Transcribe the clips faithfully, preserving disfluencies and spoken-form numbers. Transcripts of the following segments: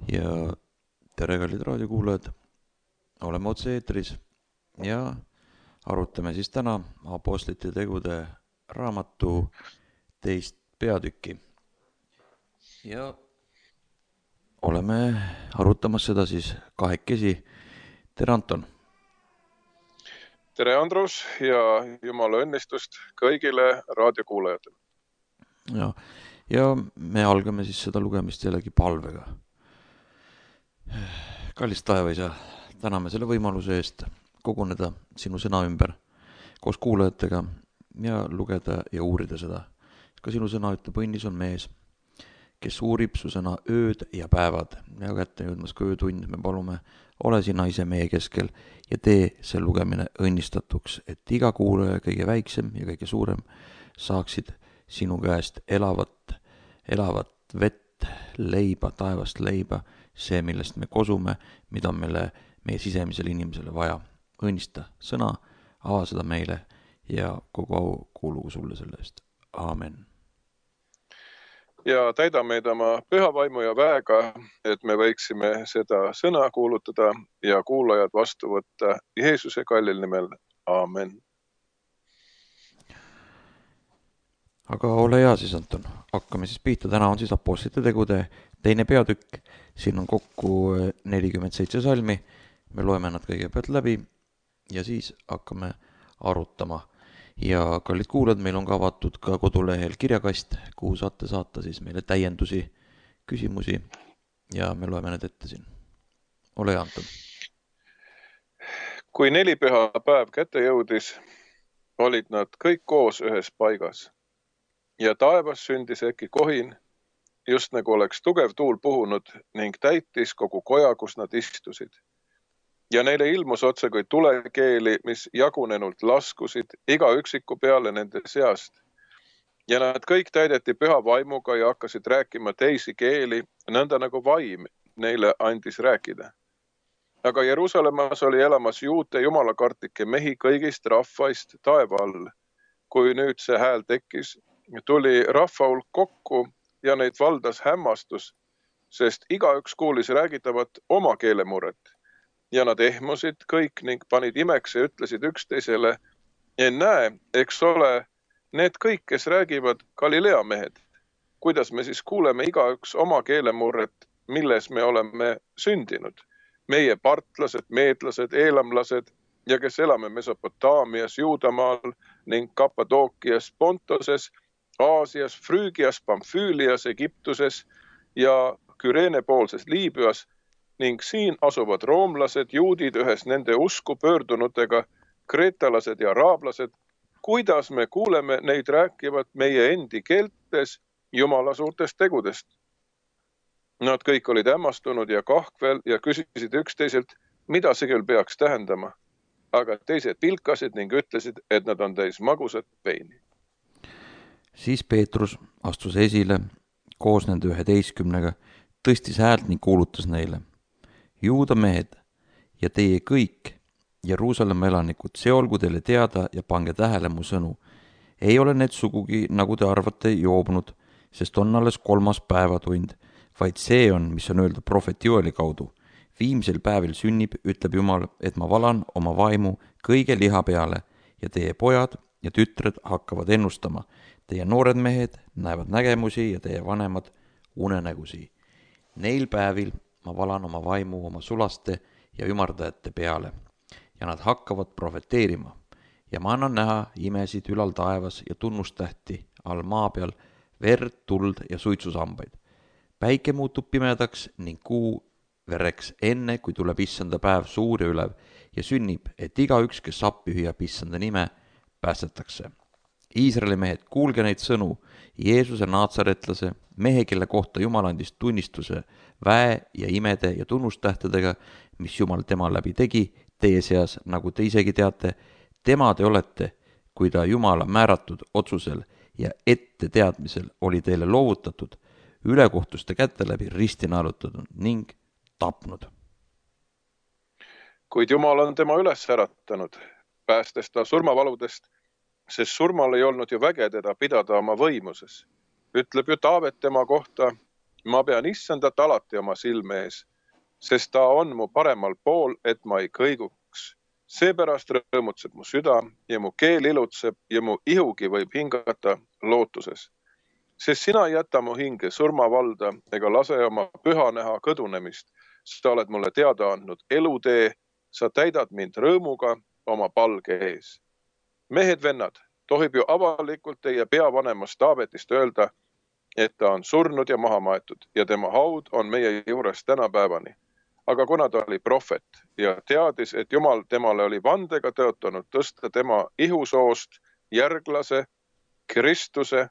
Ja tere, kallid raadiokuulajad, oleme otse eetris ja arutame siis täna Apostlite tegude raamatu teist peatükki. Ja oleme arutamas seda siis kahekesi. Tere, Anton! Tere, Andrus, ja jumala õnnistust kõigile raadiokuulajatele. Ja, ja me algame siis seda lugemist jällegi palvega. Kallis taevaisa, täname selle võimaluse eest koguneda sinu sõna ümber koos kuulajatega ja lugeda ja uurida seda. Ka sinu sõna ütleb, õnnis on mees, kes uurib su sõna ööd ja päevad. Ja kätte jõudmas ka öötund, me palume, ole sina ise meie keskel ja tee see lugemine õnnistatuks, et iga kuulaja, kõige väiksem ja kõige suurem, saaksid sinu käest elavat, elavat vett, leiba, taevast leiba, see, millest me kosume, mida on meile, meie sisemisele inimesele vaja. Õnnista sõna, ava seda meile ja kogu au kuulugu sulle selle eest. Aamen. Ja täida meid oma püha vaimu ja väega, et me võiksime seda sõna kuulutada ja kuulajad vastu võtta Jeesuse kallil nimel. Aamen. Aga ole hea siis, Anton. Hakkame siis pihta. Täna on siis Apostlite tegude teine peatükk. Siin on kokku nelikümmend seitse salmi. Me loeme nad kõigepealt läbi ja siis hakkame arutama. Ja kallid kuulajad, meil on ka avatud ka kodulehel kirjakast, kuhu saate saata siis meile täiendusi, küsimusi ja me loeme need ette siin. Ole hea, Anton. Kui nelipüha päev kätte jõudis, olid nad kõik koos ühes paigas. Ja taevas sündis äkki kohin, just nagu oleks tugev tuul puhunud ning täitis kogu koja, kus nad istusid. Ja neile ilmus otse kui tulekeeli, mis jagunenult laskusid iga üksiku peale nende seast. Ja nad kõik täideti püha vaimuga ja hakkasid rääkima teisi keeli, nõnda nagu vaim neile andis rääkida. Aga Jeruusalemmas oli elamas juute jumalakartlikke mehi kõigist rahvaist taeva all. Kui nüüd see hääl tekkis, tuli rahva hulk kokku ja neid valdas hämmastus, sest igaüks kuulis räägitavat oma keelemuret. Ja nad ehmusid kõik ning panid imeks ja ütlesid üksteisele, ennäe, eks ole, need kõik, kes räägivad Galilea mehed. Kuidas me siis kuuleme igaüks oma keelemurret, milles me oleme sündinud? Meie partlased, meedlased, eelamlased ja kes elame Mesopotaamias, Juudamaal ning Kappadookias, Pontoses, Aasias, Früügias, Pamfüülias, Egiptuses ja Küreene poolses Liibüas ning siin asuvad roomlased, juudid ühes nende usku pöördunutega, kreetalased ja araablased, kuidas me kuuleme neid rääkivat meie endi keeltes Jumala suurtest tegudest. Nad kõik olid hämmastunud ja kahkvel ja küsisid üksteiselt, mida see küll peaks tähendama. Aga teised pilkasid ning ütlesid, et nad on täis magusat veini. Siis Peetrus astus esile koos nende üheteistkümnega, tõstis häält ning kuulutas neile. Juuda mehed ja teie kõik Jeruusalemma elanikud, see olgu teile teada ja pange tähele mu sõnu. Ei ole need sugugi, nagu te arvate, joobunud, sest on alles kolmas päevatund, vaid see on, mis on öelda prohvet Joeli kaudu. Viimsel päevil sünnib, ütleb Jumal, et ma valan oma vaimu kõige liha peale ja teie pojad ja tütred hakkavad ennustama. Teie noored mehed näevad nägemusi ja teie vanemad unenägusi. Neil päevil ma valan oma vaimu oma sulaste ja ümardajate peale ja nad hakkavad profeteerima. Ja ma annan näha imesid ülal taevas ja tunnustähti all maa peal, verd, tuld ja suitsusambaid. Päike muutub pimedaks ning kuu vereks enne, kui tuleb issanda päev suur ja ülev ja sünnib, et igaüks, kes appi hüüab issanda nime, päästetakse. Iisraeli mehed, kuulge neid sõnu, Jeesuse naatsaretlase, mehe, kelle kohta Jumal andis tunnistuse väe ja imede ja tunnustähtedega, mis Jumal tema läbi tegi, teie seas, nagu te isegi teate, tema te olete, kui ta Jumala määratud otsusel ja ette teadmisel oli teile loovutatud, ülekohtuste kätte läbi risti naelutatud ning tapnud. Kuid Jumal on tema üles äratanud, päästes ta surmavaludest, sest surmal ei olnud ju väge teda pidada oma võimuses. Ütleb ju Taavet tema kohta, Ma pean issandat alati oma silme ees, sest ta on mu paremal pool, et ma ei kõiguks. Seepärast rõõmutseb mu süda ja mu keel ilutseb ja mu ihugi võib hingata lootuses. Sest sina ei jäta mu hinge surmavalda ega lase oma püha näha kõdunemist. Sa oled mulle teada andnud elutee, sa täidad mind rõõmuga oma palge ees. Mehed, vennad, tohib ju avalikult teie peavanemast Taavetist öelda, et ta on surnud ja maha maetud ja tema haud on meie juures tänapäevani. Aga kuna ta oli prohvet ja teadis, et Jumal temale oli vandega tõotanud tõsta tema ihusoost järglase, Kristuse,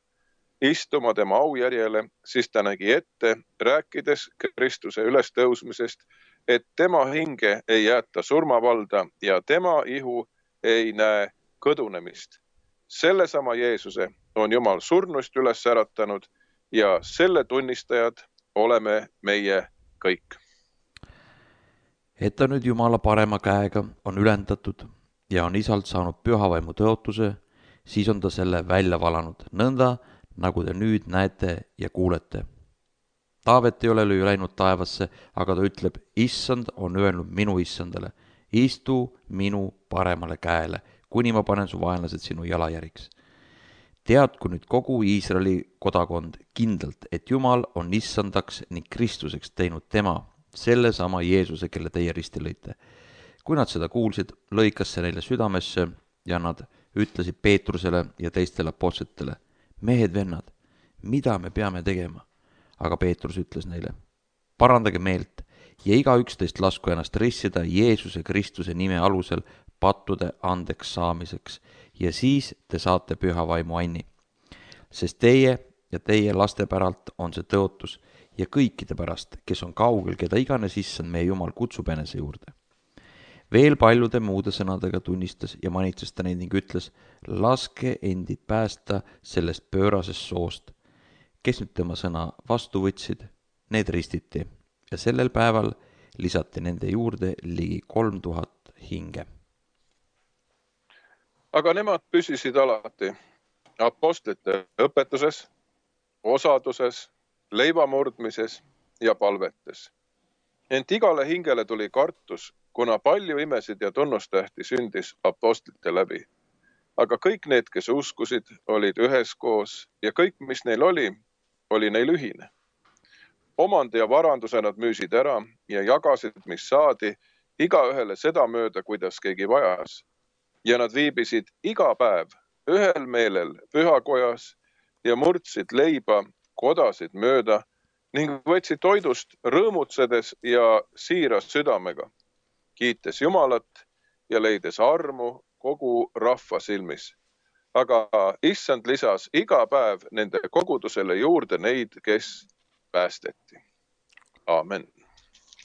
istuma tema aujärjele, siis ta nägi ette, rääkides Kristuse ülestõusmisest, et tema hinge ei jäeta surmavalda ja tema ihu ei näe kõdunemist. Sellesama Jeesuse on Jumal surnust üles äratanud ja selle tunnistajad oleme meie kõik. Et ta nüüd Jumala parema käega on ülendatud ja on isalt saanud pühavaimu tõotuse, siis on ta selle välja valanud, nõnda nagu te nüüd näete ja kuulete. Taavet ei ole ju läinud taevasse, aga ta ütleb, issand on öelnud minu issandale, istu minu paremale käele, kuni ma panen su vaenlased sinu jalajäriks. Teadku nüüd kogu Iisraeli kodakond kindlalt, et Jumal on issandaks ning Kristuseks teinud tema, selle sama Jeesuse, kelle teie risti lõite. Kui nad seda kuulsid, lõikas see neile südamesse ja nad ütlesid Peetrusele ja teistele apostlitele, mehed, vennad, mida me peame tegema? Aga Peetrus ütles neile, parandage meelt ja iga üksteist lasku ennast rissida Jeesuse Kristuse nime alusel pattude andeks saamiseks ja siis te saate püha vaimu anni. Sest teie ja teie laste päralt on see tõotus ja kõikide pärast, kes on kaugel, keda iganes issand meie Jumal kutsub enese juurde. Veel paljude muude sõnadega tunnistas ja manitses ta neid ning ütles, laske endid päästa sellest pöörasest soost. Kes nüüd tema sõna vastu võtsid, need ristiti ja sellel päeval lisati nende juurde ligi kolm tuhat hinge. Aga nemad püsisid alati apostlite õpetuses, osaduses, leivamurdmises ja palvetes. Ent igale hingele tuli kartus, kuna palju imesid ja tunnustähti sündis apostlite läbi. Aga kõik need, kes uskusid, olid üheskoos ja kõik, mis neil oli, oli neil ühine. Omandi ja varanduse nad müüsid ära ja jagasid, mis saadi, igaühele seda mööda, kuidas keegi vajas. Ja nad viibisid iga päev ühel meelel pühakojas ja murdsid leiba kodasid mööda ning võtsid toidust rõõmutsedes ja siiras südamega, kiites Jumalat ja leides armu kogu rahva silmis. Aga issand lisas iga päev nende kogudusele juurde neid, kes päästeti. Aamen.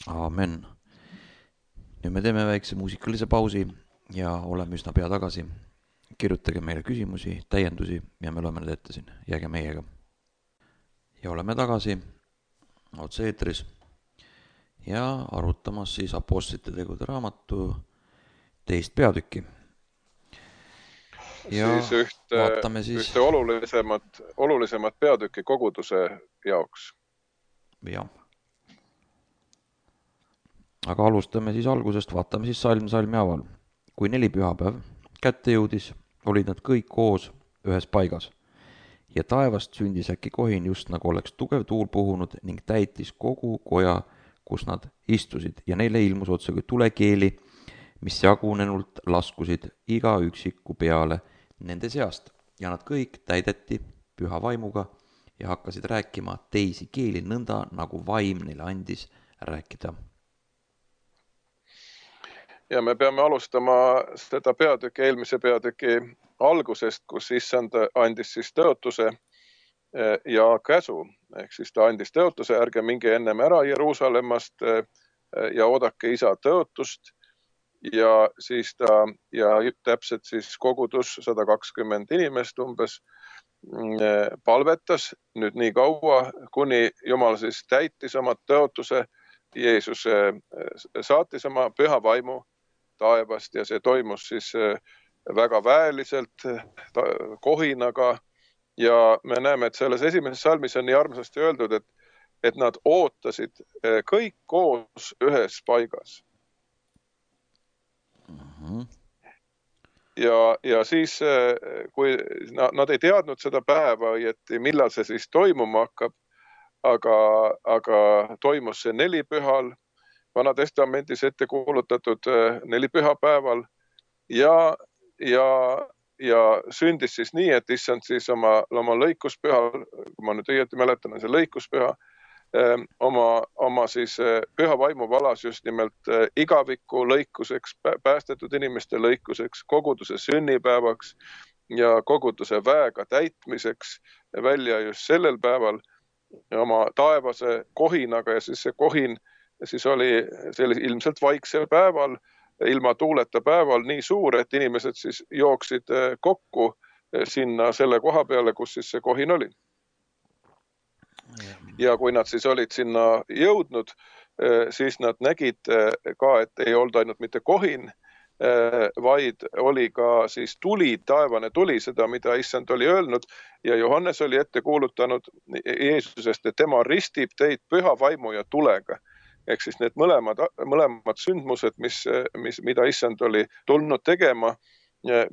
Aamen. Nüüd me teeme väikse muusikalise pausi ja oleme üsna pea tagasi. Kirjutage meile küsimusi, täiendusi ja me loeme need ette siin. Jääge meiega. Ja oleme tagasi otse eetris ja arutamas siis apostlite tegude raamatu teist peatükki. Ja siis ühte, siis ühte olulisemat, olulisemat peatükki koguduse jaoks. Jah. Aga alustame siis algusest, vaatame siis salm salmi haaval. Kui neli pühapäev kätte jõudis, olid nad kõik koos ühes paigas. Ja taevast sündis äkki kohin just nagu oleks tugev tuul puhunud ning täitis kogu koja, kus nad istusid. Ja neile ilmus otse kui tulekeeli, mis jagunenult laskusid iga üksiku peale nende seast. Ja nad kõik täideti püha vaimuga ja hakkasid rääkima teisi keeli nõnda, nagu vaim neile andis rääkida. Ja me peame alustama seda peatüki, eelmise peatüki algusest, kus issand andis siis tõotuse ja käsu. Ehk siis ta andis tõotuse, ärge minge ennem ära Jeruusalemmast ja oodake isa tõotust. Ja siis ta, ja täpselt siis kogudus sada kakskümmend inimest umbes palvetas nüüd nii kaua, kuni Jumal siis täitis oma tõotuse, Jeesus saatis oma püha vaimu taevast ja see toimus siis väga väeliselt kohinaga ja me näeme, et selles esimeses salmis on nii armsasti öeldud, et et nad ootasid kõik koos ühes paigas. Mhm. Ja, ja siis, kui nad ei teadnud seda päeva õieti, millal see siis toimuma hakkab, aga, aga toimus see nelipühal, Vana Testamendis ette kuulutatud nelipühapäeval ja, ja, ja sündis siis nii, et issand siis oma, oma lõikuspühal, kui ma nüüd õieti mäletan, see lõikuspüha, oma, oma siis püha vaimu valas just nimelt igaviku lõikuseks, päästetud inimeste lõikuseks, koguduse sünnipäevaks ja koguduse väega täitmiseks välja just sellel päeval oma taevase kohinaga ja siis see kohin siis oli sellise ilmselt vaiksel päeval, ilma tuuleta päeval nii suur, et inimesed siis jooksid kokku sinna selle koha peale, kus siis see kohin oli. Ja kui nad siis olid sinna jõudnud, siis nad nägid ka, et ei olnud ainult mitte kohin, vaid oli ka siis tuli, taevane tuli, seda, mida issand oli öelnud ja Johannes oli ette kuulutanud Jeesusest, et tema ristib teid püha vaimu ja tulega. Ehk siis need mõlemad, mõlemad sündmused, mis, mis, mida issand oli tulnud tegema,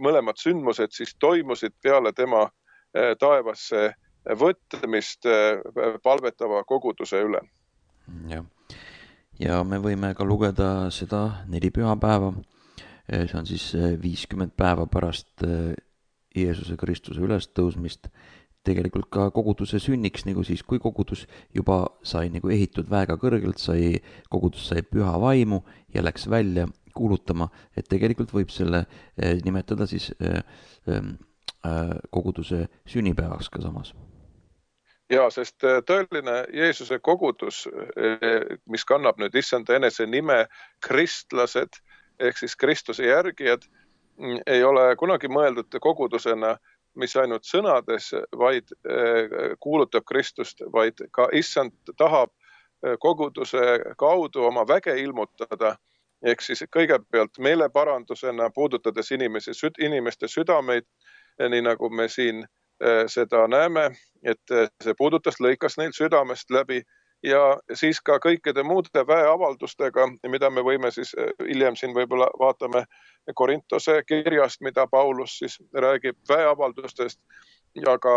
mõlemad sündmused siis toimusid peale tema taevasse võtmist palvetava koguduse üle. Ja. ja me võime ka lugeda seda neli pühapäeva. See on siis viiskümmend päeva pärast Jeesuse Kristuse ülestõusmist. Tegelikult ka koguduse sünniks, nagu siis, kui kogudus juba sai nagu ehitud väga kõrgelt, sai, kogudus sai püha vaimu ja läks välja kuulutama, et tegelikult võib selle nimetada siis koguduse sünnipäevaks ka samas. Ja, sest tõeline Jeesuse kogudus, mis kannab nüüd issanda enese nime kristlased, ehk siis Kristuse järgijad, ei ole kunagi mõeldud kogudusena, mis ainult sõnades, vaid kuulutab Kristust, vaid ka issand tahab koguduse kaudu oma väge ilmutada, ehk siis kõigepealt meeleparandusena puudutades inimesi, inimeste südameid, nii nagu me siin seda näeme, et see puudutas, lõikas neil südamest läbi ja siis ka kõikide muude väeavaldustega, mida me võime siis hiljem siin võib-olla vaatame Korintose kirjast, mida Paulus siis räägib väeavaldustest, aga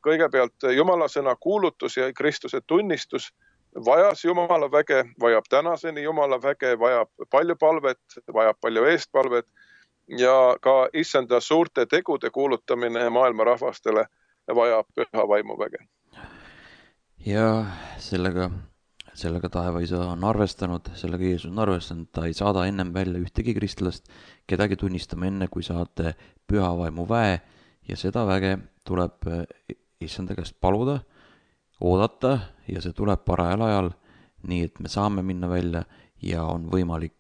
kõigepealt Jumala sõna kuulutus ja Kristuse tunnistus vajas Jumala väge, vajab tänaseni Jumala väge, vajab palju palvet, vajab palju eestpalvet ja ka issanda suurte tegude kuulutamine maailma rahvastele vajab püha vaimu väge. Ja sellega, sellega taevaisa on arvestanud, sellega Jeesus on arvestanud, ta ei saada ennem välja ühtegi kristlast, kedagi tunnistama enne, kui saate püha vaimu väe ja seda väge tuleb issanda käest paluda, oodata ja see tuleb parajal ajal, nii et me saame minna välja ja on võimalik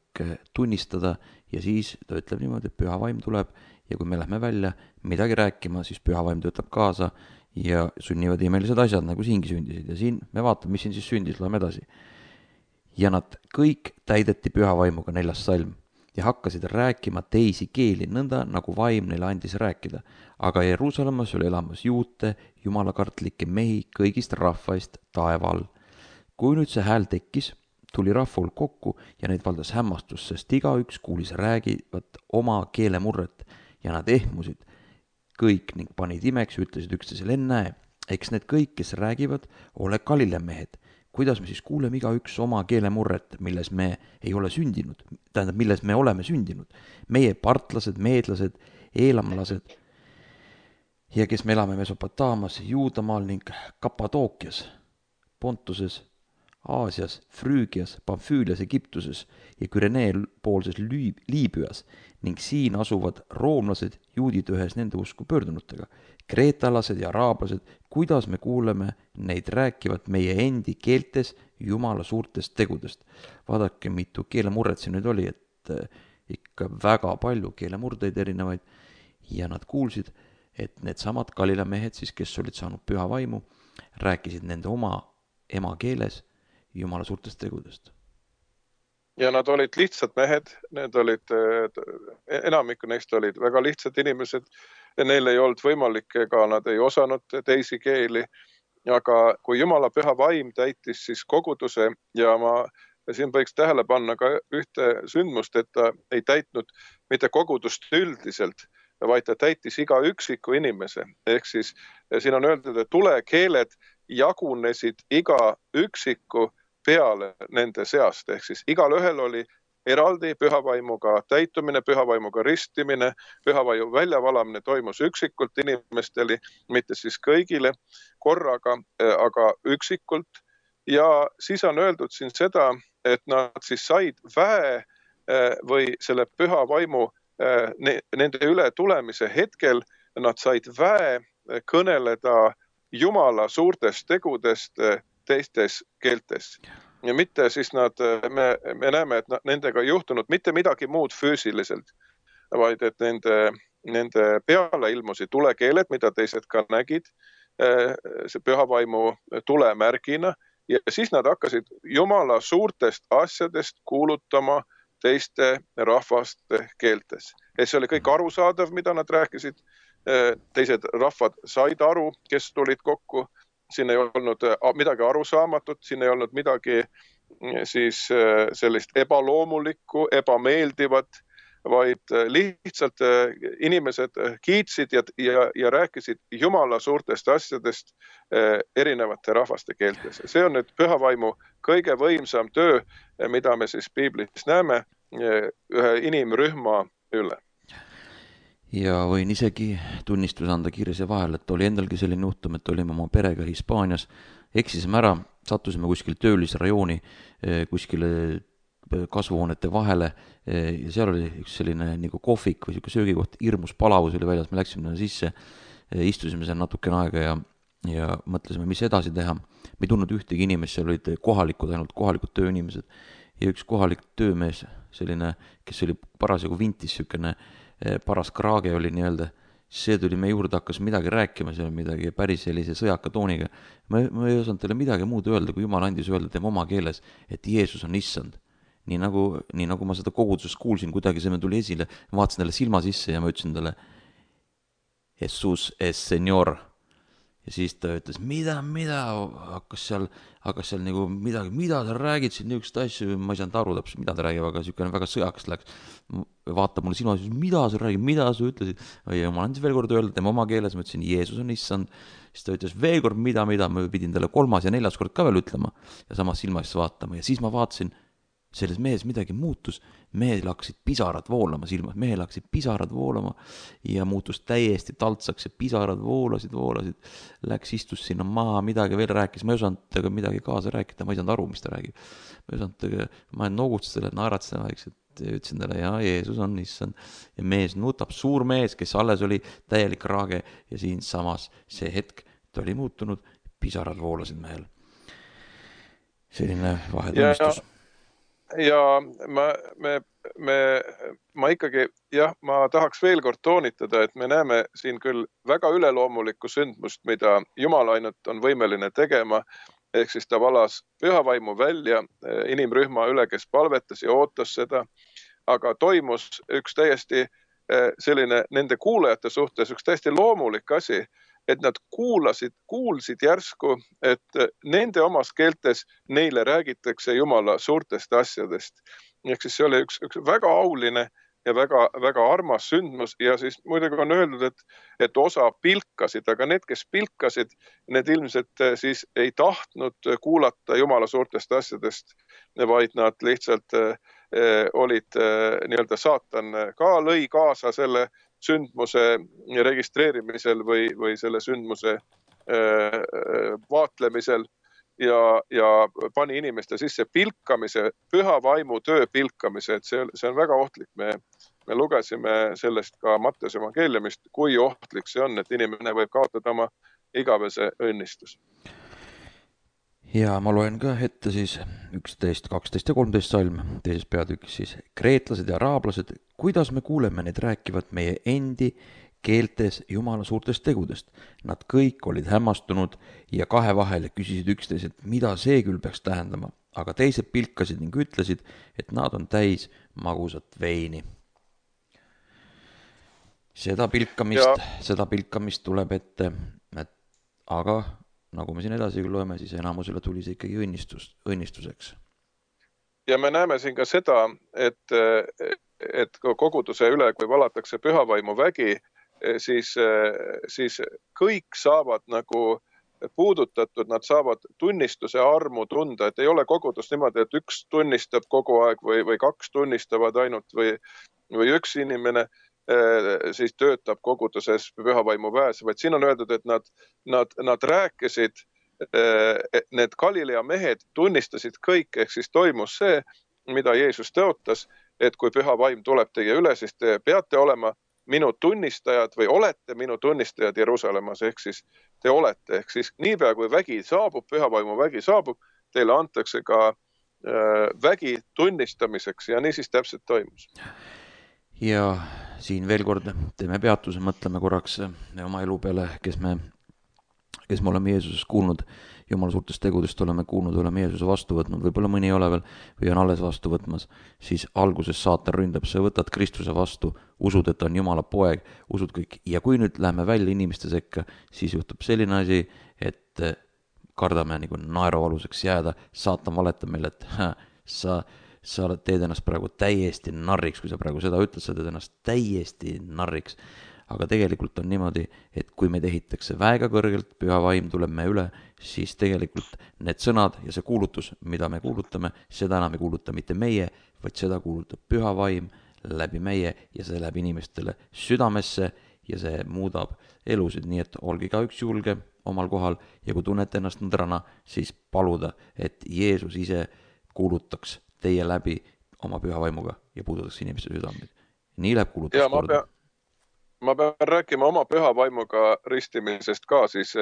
tunnistada ja siis ta ütleb niimoodi, et püha vaim tuleb ja kui me lähme välja midagi rääkima, siis püha vaim töötab kaasa ja sünnivad imelised asjad, nagu siingi sündisid ja siin me vaatame, mis siin siis sündis, loeme edasi. Ja nad kõik täideti püha vaimuga, neljas salm, ja hakkasid rääkima teisi keeli, nõnda nagu vaim neile andis rääkida. Aga Jeruusalemmas oli elamas juute, jumalakartlikke mehi kõigist rahvaist taeval. Kui nüüd see hääl tekkis, tuli rahvul kokku ja neid valdas hämmastus, sest igaüks kuulis räägivat oma keelemurret ja nad ehmusid kõik ning panid imeks, ütlesid üksteisele, ennäe, eks need kõik, kes räägivad, ole Galile mehed. Kuidas me siis kuuleme igaüks oma keelemurret, milles me ei ole sündinud, tähendab, milles me oleme sündinud. Meie partlased, meedlased, eelamlased ja kes me elame Mesopotaamas, Juudamaal ning Kapadookias, Pontuses, Aasias, Früügias, Pamfüülias, Egiptuses ja Kürenee poolses Liibüas ning siin asuvad roomlased, juudid ühes nende usku pöördunutega, kreetalased ja araablased, kuidas me kuuleme neid rääkivat meie endi keeltes Jumala suurtest tegudest. Vaadake, mitu keelemurret siin nüüd oli, et ikka väga palju keelemurdeid erinevaid ja nad kuulsid, et need samad Galila mehed siis, kes olid saanud püha vaimu, rääkisid nende oma emakeeles Jumala suurtest tegudest. Ja nad olid lihtsad mehed, need olid, enamikku neist olid väga lihtsad inimesed, neil ei olnud võimalik, ega nad ei osanud teisi keeli aga kui Jumala püha vaim täitis siis koguduse ja ma siin võiks tähele panna ka ühte sündmust, et ta ei täitnud mitte kogudust üldiselt, vaid ta täitis iga üksiku inimese. Ehk siis siin on öeldud, et tulekeeled jagunesid iga üksiku peale nende seast. Ehk siis igal ühel oli eraldi pühavaimuga täitumine, pühavaimuga ristimine, pühavaimu väljavalamine toimus üksikult inimestele, mitte siis kõigile korraga, aga üksikult. Ja siis on öeldud siin seda, et nad siis said väe või selle pühavaimu nende üle tulemise hetkel, nad said väe kõneleda Jumala suurtest tegudest teistes keeltes. Ja mitte siis nad, me, me näeme, et nendega ei juhtunud mitte midagi muud füüsiliselt, vaid et nende, nende peale ilmusid tulekeeled, mida teised ka nägid, see pühavaimu tulemärgina, ja siis nad hakkasid Jumala suurtest asjadest kuulutama teiste rahvaste keeltes. Ja see oli kõik arusaadav, mida nad rääkisid. Teised rahvad said aru, kes tulid kokku. Siin ei olnud midagi arusaamatut, siin ei olnud midagi siis sellist ebaloomulikku, ebameeldivat, vaid lihtsalt inimesed kiitsid ja, ja, ja rääkisid Jumala suurtest asjadest erinevate rahvaste keeltes. See on nüüd pühavaimu kõige võimsam töö, mida me siis Piiblis näeme ühe inimrühma üle. Ja võin isegi tunnistus anda kiirese vahel, et oli endalgi selline juhtum, et olime oma perega Hispaanias, eksisime ära, sattusime kuskil töölisrajooni, kuskile kasvuhoonete vahele ja seal oli üks selline nagu kohvik või söögikoht, hirmus palavus oli väljas, me läksime sisse, istusime seal natukene aega ja, ja mõtlesime, mis edasi teha. Me ei tundnud ühtegi inimest, seal olid kohalikud, ainult kohalikud tööinimesed ja üks kohalik töömees, selline, kes oli parasjagu vintis, sükene paras kraage oli nii-öelda, see tuli me juurde, hakkas midagi rääkima, see oli midagi päris sellise sõjaka tooniga. Ma, ma ei osanud teile midagi muud öelda, kui Jumal andis öelda tema oma keeles, et Jeesus on issand. Nii nagu, nii nagu ma seda kogudusest kuulsin, kuidagi see me tuli esile, ma vaatasin talle silma sisse ja ma ütlesin talle Jesus es Señor. Ja siis ta ütles, mida, mida, hakkas seal, hakkas seal nagu midagi, mida ta räägid siin niisugust asju, ma ei saanud aru täpselt, mida ta räägib, aga niisugune väga sõjaks läks. Vaatab mulle silma, mida sa räägid, mida sa ütlesid. Ja ma andis veel kord öelda, tema oma keeles, ma ütlesin, Jeesus on issand. Siis ta ütles veel kord, mida, mida, ma pidin talle kolmas ja neljas kord ka veel ütlema ja samas silma siis vaatama. Ja siis ma vaatasin, selles mehes midagi muutus, mehel hakkasid pisarad voolama silmas, mehel hakkasid pisarad voolama ja muutus täiesti taltsaks ja pisarad voolasid, voolasid, läks, istus sinna maha, midagi veel rääkis, ma ei osanud aga midagi kaasa rääkida, ma ei saanud aru, mis ta räägib. Ma ei osanud, ma noogutas selle, naeratsen vaikselt, ütlesin talle, ja Jeesus on issand. Ja mees nutab, suur mees, kes alles oli täielik raage ja siin samas see hetk, ta oli muutunud, pisarad voolasid mehel. Selline vahetunnistus. Ja ma, me, me, ma ikkagi, jah, ma tahaks veel kord toonitada, et me näeme siin küll väga üleloomulikku sündmust, mida Jumal ainult on võimeline tegema, ehk siis ta valas pühavaimu välja inimrühma üle, kes palvetas ja ootas seda, aga toimus üks täiesti selline nende kuulajate suhtes, üks täiesti loomulik asi, et nad kuulasid, kuulsid järsku, et nende omas keeltes neile räägitakse Jumala suurtest asjadest. Ehk siis see oli üks, üks väga auline ja väga, väga armas sündmus ja siis muidugi on öeldud, et, et osa pilkasid, aga need, kes pilkasid, need ilmselt siis ei tahtnud kuulata Jumala suurtest asjadest, vaid nad lihtsalt eh, olid eh, nii-öelda saatan ka lõi kaasa selle sündmuse registreerimisel või, või selle sündmuse äh, vaatlemisel ja, ja pani inimeste sisse pilkamise, püha vaimu töö pilkamise, et see, see on väga ohtlik. Me, me lugesime sellest ka Matteuse evangeeliumist, kui ohtlik see on, et inimene võib kaotada oma igavese õnnistus. Ja ma loen ka ette siis üksteist, kaksteist ja kolmteist salm, teises peatükis siis kreetlased ja araablased, kuidas me kuuleme neid rääkivad meie endi keeltes Jumala suurtest tegudest. Nad kõik olid hämmastunud ja kahe vahel küsisid üksteiselt, mida see küll peaks tähendama, aga teised pilkasid ning ütlesid, et nad on täis magusat veini. Seda pilkamist, seda pilkamist tuleb ette, et aga nagu me siin edasi loeme, siis enamusele tuli see ikkagi õnnistus, õnnistuseks. Ja me näeme siin ka seda, et, et koguduse üle, kui valatakse pühavaimu vägi, siis, siis kõik saavad nagu puudutatud, nad saavad tunnistuse armu tunda, et ei ole kogudus niimoodi, et üks tunnistab kogu aeg või, või kaks tunnistavad ainult või, või üks inimene siis töötab koguduses pühavaimu väes, vaid siin on öeldud, et nad, nad, nad rääkisid, need Galilea mehed tunnistasid kõik, ehk siis toimus see, mida Jeesus tõotas, et kui püha vaim tuleb teie üle, siis te peate olema minu tunnistajad või olete minu tunnistajad Jeruusalemmas, ehk siis te olete, ehk siis niipea kui vägi saabub, pühavaimu vägi saabub, teile antakse ka äh, vägi tunnistamiseks ja nii siis täpselt toimus. Ja siin veel kord teeme peatuse, mõtleme korraks oma elu peale, kes me, kes me oleme Jeesusest kuulnud, Jumala suurtest tegudest oleme kuulnud, oleme Jeesuse vastu võtnud, võib-olla mõni ei ole veel või on alles vastu võtmas, siis alguses saatan ründab, sa võtad Kristuse vastu, usud, et on Jumala poeg, usud kõik. Ja kui nüüd läheme välja inimeste sekka, siis juhtub selline asi, et kardame nagu naerualuseks jääda, saatan valetab meile, et hä, sa, sa teed ennast praegu täiesti narriks, kui sa praegu seda ütled, sa teed ennast täiesti narriks. Aga tegelikult on niimoodi, et kui meid ehitakse väega kõrgelt, püha vaim tuleb me üle, siis tegelikult need sõnad ja see kuulutus, mida me kuulutame, seda enam ei kuuluta mitte meie, vaid seda kuulutab püha vaim läbi meie ja see läheb inimestele südamesse ja see muudab elusid, nii et olge ka üks julge omal kohal ja kui tunnete ennast nõdrana, siis paluda, et Jeesus ise kuulutaks teie läbi oma püha vaimuga ja puudutaks inimeste südameid. Nii läheb kuulutus korda. Ma pean rääkima oma püha vaimuga ristimisest ka, siis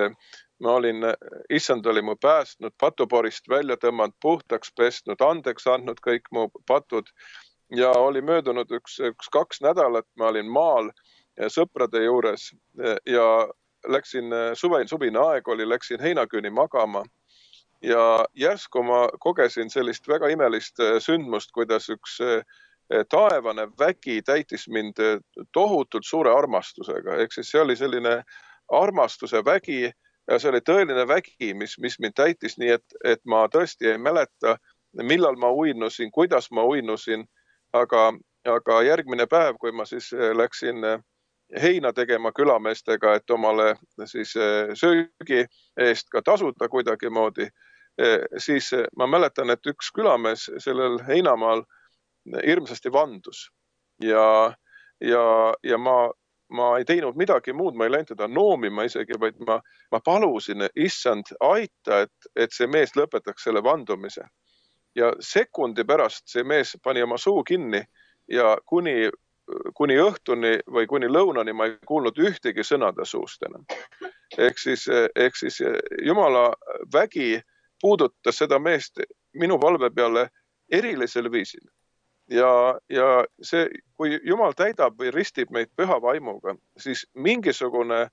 ma olin, issand oli mu päästnud, patuporist välja tõmmanud, puhtaks pestnud, andeks andnud kõik mu patud ja oli möödunud üks, üks kaks nädalat, ma olin maal sõprade juures ja läksin, suve, suvine aeg oli, läksin heinaküüni magama ja järsku ma kogesin sellist väga imelist sündmust, kuidas üks taevane vägi täitis mind tohutult suure armastusega. Ehk siis see oli selline armastuse vägi ja see oli tõeline vägi, mis, mis mind täitis nii, et, et ma tõesti ei mäleta, millal ma uinusin, kuidas ma uinusin, aga, aga järgmine päev, kui ma siis läksin heina tegema külameestega, et omale siis söögi eest ka tasuda kuidagi moodi, siis ma mäletan, et üks külamees sellel heinamaal hirmsasti vandus ja, ja, ja ma, ma ei teinud midagi muud, ma ei läinud teda noomima isegi, vaid ma, ma palusin, issand, aita, et, et see mees lõpetaks selle vandumise. Ja sekundi pärast see mees pani oma suu kinni ja kuni, kuni õhtuni või kuni lõunani ma ei kuulnud ühtegi sõnade suust enam. Ehk siis, ehk siis Jumala vägi puudutas seda meest minu palve peale erilisel viisil. Ja, ja see, kui Jumal täidab või ristib meid püha vaimuga, siis mingisugune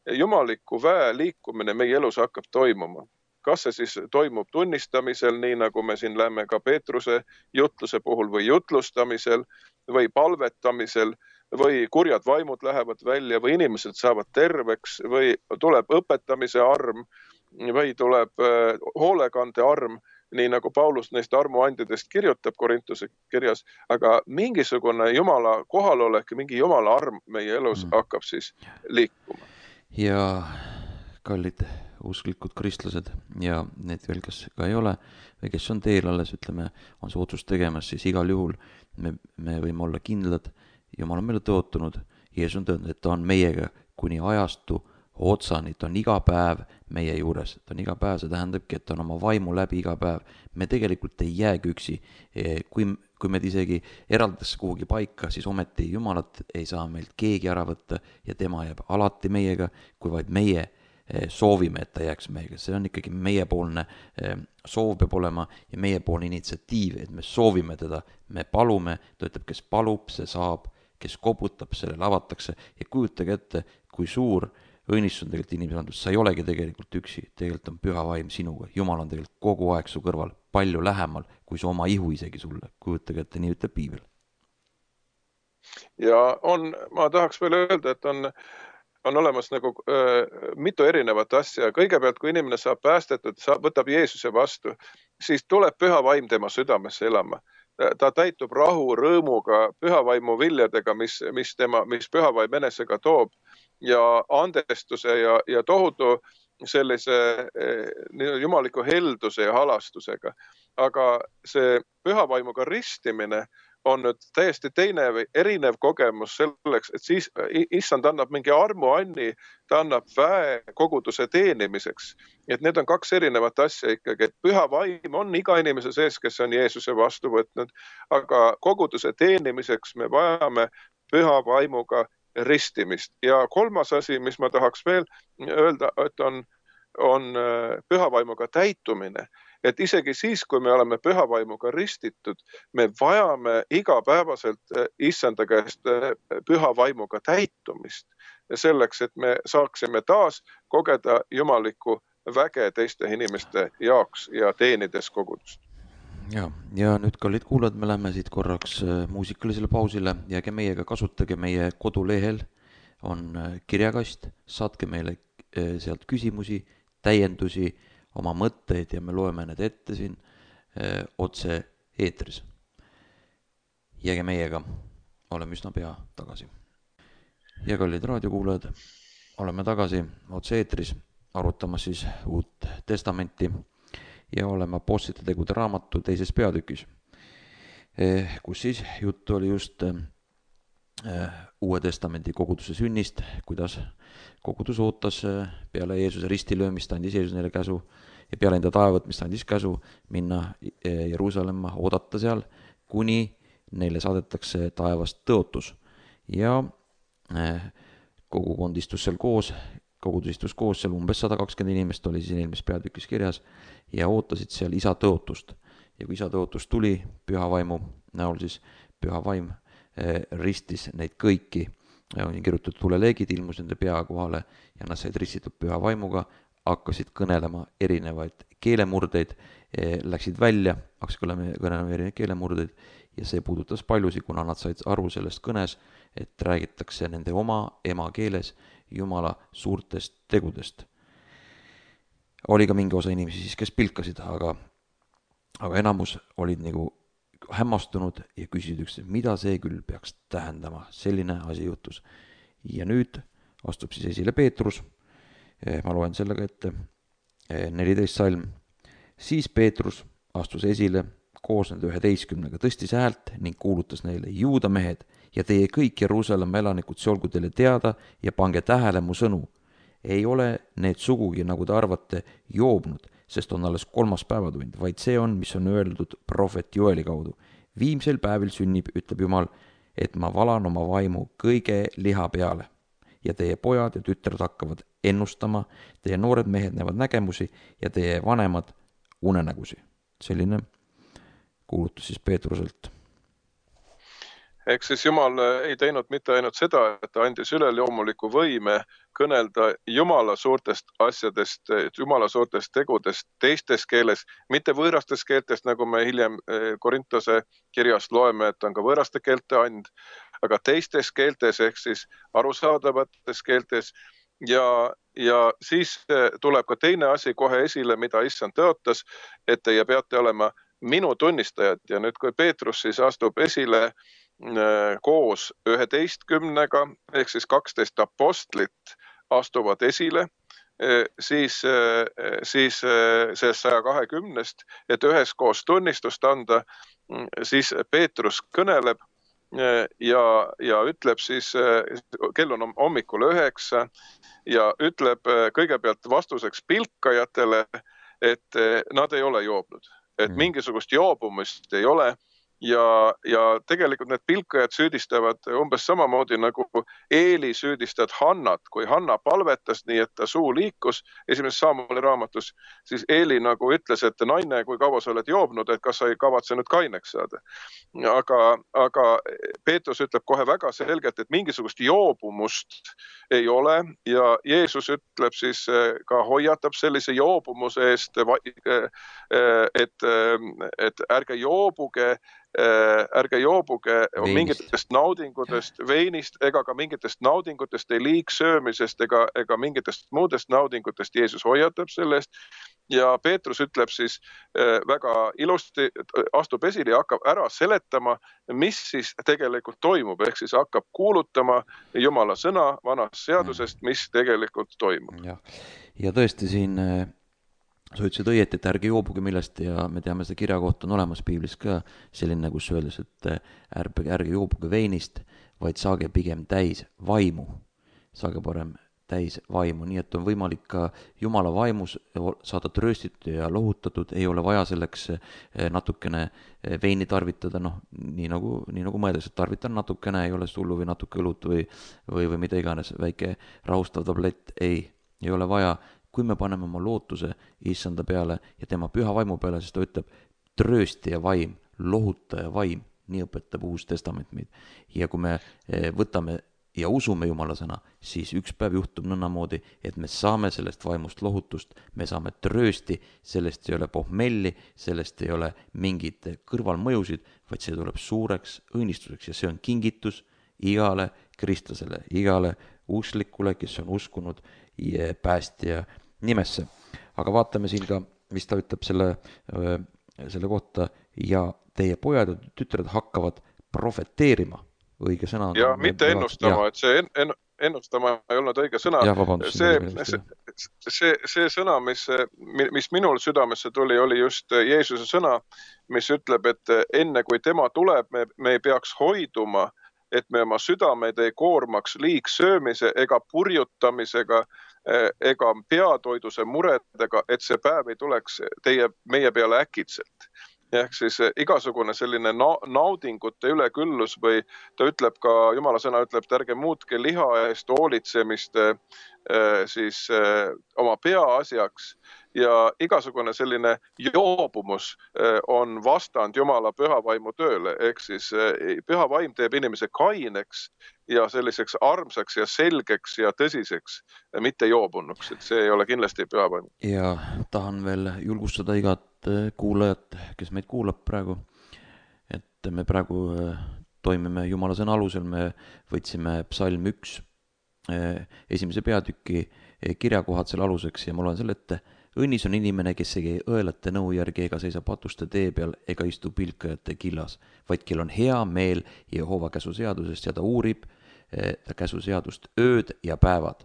jumaliku väe liikumine meie elus hakkab toimuma. Kas see siis toimub tunnistamisel, nii nagu me siin lähme ka Peetruse jutluse puhul või jutlustamisel või palvetamisel või kurjad vaimud lähevad välja või inimesed saavad terveks või tuleb õpetamise arm või tuleb hoolekande arm, nii nagu Paulus neist armuandidest kirjutab Korintuse kirjas, aga mingisugune Jumala kohalolek, mingi Jumala arm meie elus hakkab siis liikuma. Ja kallid usklikud kristlased ja need veel, kes ka ei ole või kes on teel alles, ütleme, on see otsus tegemas, siis igal juhul me, me võime olla kindlad, Jumal on meile tõotunud, Jeesus on tõotanud, et ta on meiega kuni ajastu otsani, ta on iga päev meie juures, ta on iga päev, see tähendabki, et ta on oma vaimu läbi iga päev. Me tegelikult ei jäägi üksi, kui, kui meid isegi eraldatakse kuhugi paika, siis ometi Jumalat ei saa meilt keegi ära võtta ja tema jääb alati meiega, kui vaid meie soovime, et ta jääks meiega. See on ikkagi meiepoolne soov peab olema ja meiepoolne initsiatiiv, et me soovime teda, me palume, ta ütleb, kes palub, see saab, kes koputab, sellele avatakse ja kujutage ette, kui suur õnnistus on tegelikult inimese andus, sa ei olegi tegelikult üksi, tegelikult on püha vaim sinuga, Jumal on tegelikult kogu aeg su kõrval, palju lähemal, kui su oma ihu isegi sulle, kujutage ette, nii ütleb piibel. Ja on, ma tahaks veel öelda, et on on olemas nagu öö, mitu erinevat asja. Kõigepealt, kui inimene saab päästetud, saab, võtab Jeesuse vastu, siis tuleb püha vaim tema südamesse elama. Ta täitub rahu, rõõmuga, pühavaimu viljadega, mis, mis, tema, mis pühavaim enesega toob ja andestuse ja, ja tohutu sellise eh, jumaliku helduse ja halastusega. Aga see pühavaimuga ristimine on nüüd täiesti teine või erinev kogemus selleks, et siis issand annab mingi armuanni, ta annab väe koguduse teenimiseks. Et need on kaks erinevat asja ikkagi, et püha vaim on iga inimese sees, kes on Jeesuse vastu võtnud, aga koguduse teenimiseks me vajame püha vaimuga ristimist. Ja kolmas asi, mis ma tahaks veel öelda, et on, on püha vaimuga täitumine. Et isegi siis, kui me oleme pühavaimuga ristitud, me vajame igapäevaselt issanda käest pühavaimuga täitumist selleks, et me saaksime taas kogeda jumalikku väge teiste inimeste jaoks ja teenides kogudust. Ja, ja nüüd kallid kuulad, me lähme siit korraks muusikalisele pausile, jääge meiega, kasutage meie kodulehel, on kirjakast, saatke meile sealt küsimusi, täiendusi, oma mõtteid ja me loeme need ette siin öö, otse eetris. Jääge meiega, oleme üsna pea tagasi. Ja kallid raadiokuulajad, oleme tagasi otse eetris, arutamas siis uut testamenti ja oleme Apostlite tegude raamatu teises peatükis, kus siis juttu oli just Uue testamendi koguduse sünnist, kuidas kogudus ootas peale Jeesuse ristilöömist, andis Jeesus neile käsu ja peale enda taevavõtmist andis käsu minna Jeruusalemma, oodata seal, kuni neile saadetakse taevast tõotus. Ja kogukond istus seal koos, kogudus istus koos, seal umbes sada kakskümmend inimest oli siis eelmises peatükis kirjas ja ootasid seal isa tõotust. Ja kui isa tõotus tuli püha vaimu näol, siis püha vaim ristis neid kõiki, on kirjutatud tuleleegid, ilmus nende pea kohale ja nad said ristitud püha vaimuga, hakkasid kõnelema erinevaid keelemurdeid, läksid välja, hakkasid kõnelema erinevaid keelemurdeid ja see puudutas paljusid, kuna nad said aru sellest kõnes, et räägitakse nende oma emakeeles Jumala suurtest tegudest. Oli ka mingi osa inimesi siis, kes pilkasid, aga, aga enamus olid nagu hämmastunud ja küsisid üks, mida see küll peaks tähendama, selline asi juhtus. Ja nüüd astub siis esile Peetrus, ma loen sellega ette, neliteist salm. Siis Peetrus astus esile koos nende üheteistkümnega, tõstis häält ning kuulutas neile, juuda mehed ja teie kõik Jeruusalemma elanikud, see olgu teile teada ja pange tähele mu sõnu. Ei ole need sugugi, nagu te arvate, joobnud, sest on alles kolmas päevatund, vaid see on, mis on öeldud prohvet Joeli kaudu. Viimsel päevil sünnib, ütleb Jumal, et ma valan oma vaimu kõige liha peale ja teie pojad ja tütred hakkavad ennustama, teie noored mehed näevad nägemusi ja teie vanemad unenägusi. Selline kuulutus siis Peetruselt. Eks siis Jumal ei teinud mitte ainult seda, et ta andis üleloomuliku võime kõnelda Jumala suurtest asjadest, Jumala suurtest tegudest teistes keeles, mitte võõrastes keeltest, nagu me hiljem Korintose kirjast loeme, et on ka võõraste keelte and, aga teistes keeltes ehk siis arusaadavates keeltes. Ja, ja siis tuleb ka teine asi kohe esile, mida issand tõotas, et teie peate olema minu tunnistajad. Ja nüüd, kui Peetrus siis astub esile koos üheteistkümnega, ehk siis kaksteist apostlit astuvad esile, siis, siis see saja kahekümnest, et üheskoos tunnistust anda, siis Peetrus kõneleb ja, ja ütleb siis, kell on hommikul üheksa ja ütleb kõigepealt vastuseks pilkajatele, et nad ei ole joobnud, et mingisugust joobumist ei ole. Ja, ja tegelikult need pilkajad süüdistavad umbes samamoodi nagu Eeli süüdistad Hannat, kui Hanna palvetas nii, et ta suu liikus esimeses Saamueli raamatus, siis Eeli nagu ütles, et naine, kui kaua sa oled joobnud, et kas sa ei kavatse nüüd kaineks saada. Aga, aga Peetrus ütleb kohe väga selgelt, et mingisugust joobumust ei ole ja Jeesus ütleb siis ka hoiatab sellise joobumuse eest, et, et ärge joobuge ärge joobuge Veinist. mingitest naudingutest, veinist ega ka mingitest naudingutest, ei liigsöömisest ega, ega mingitest muudest naudingutest. Jeesus hoiatab selle eest. Ja Peetrus ütleb siis väga ilusti, astub esile ja hakkab ära seletama, mis siis tegelikult toimub. Ehk siis hakkab kuulutama Jumala sõna vanast seadusest, mis tegelikult toimub. Ja, ja tõesti siin sa ütlesid õieti, et ärge joobuge millest ja me teame, seda kirja kohta on olemas piiblis ka selline, kus öeldes, et ärge, ärge joobuge veinist, vaid saage pigem täis vaimu. Saage parem täis vaimu, nii et on võimalik ka Jumala vaimus saada trööstitud ja lohutatud, ei ole vaja selleks natukene veini tarvitada, noh, nii nagu, nii nagu mõeldakse, et tarvitan natukene, ei ole sullu või natuke õlut või, või, või mida iganes, väike rahustav tablett, ei, ei ole vaja. Kui me paneme oma lootuse issanda peale ja tema püha vaimu peale, siis ta ütleb trööstija vaim, lohutaja vaim, nii õpetab Uus Testament meid. Ja kui me võtame ja usume Jumala sõna, siis üks päev juhtub nõnnamoodi, et me saame sellest vaimust lohutust, me saame tröösti, sellest ei ole pohmelli, sellest ei ole mingid kõrvalmõjusid, vaid see tuleb suureks õnnistuseks ja see on kingitus igale kristlasele, igale usklikule, kes on uskunud ja päästja nimesse. Aga vaatame siin ka, mis ta ütleb selle, selle kohta ja teie pojad ja tütred hakkavad profeteerima. Õige sõna. Ja mitte ennustama, ja. Et see en, ennustama ei olnud õige sõna. Ja, vabandust, see, see, see, see sõna, mis, mis minul südamesse tuli, oli just Jeesuse sõna, mis ütleb, et enne kui tema tuleb, me, me ei peaks hoiduma, et me oma südameid ei koormaks liigsöömise ega purjutamisega ega peatoiduse muredega, et see päev ei tuleks teie, meie peale äkitselt. Ehk siis igasugune selline na- naudingute üleküllus või ta ütleb ka, Jumala sõna ütleb, et ärge muutke liha eest hoolitsemist siis oma peaasjaks ja igasugune selline joobumus on vastand Jumala pühavaimu tööle. Ehk siis pühavaim teeb inimese kaineks ja selliseks armsaks ja selgeks ja tõsiseks, mitte joobunuks, et see ei ole kindlasti pühavaim. Ja tahan veel julgustada igat kuulajat, kes meid kuulab praegu, et me praegu toimime Jumala sõna alusel, me võtsime psalm üks esimese peatüki kirjakohad selle aluseks ja ma loen selle ette. Õnnis on inimene, kes ei õelate nõu järgi ega seisa patuste tee peal ega istu pilkajate killas, vaid kel on hea meel Jehova käsuseadusest ja ta uurib ta käsuseadust ööd ja päevad.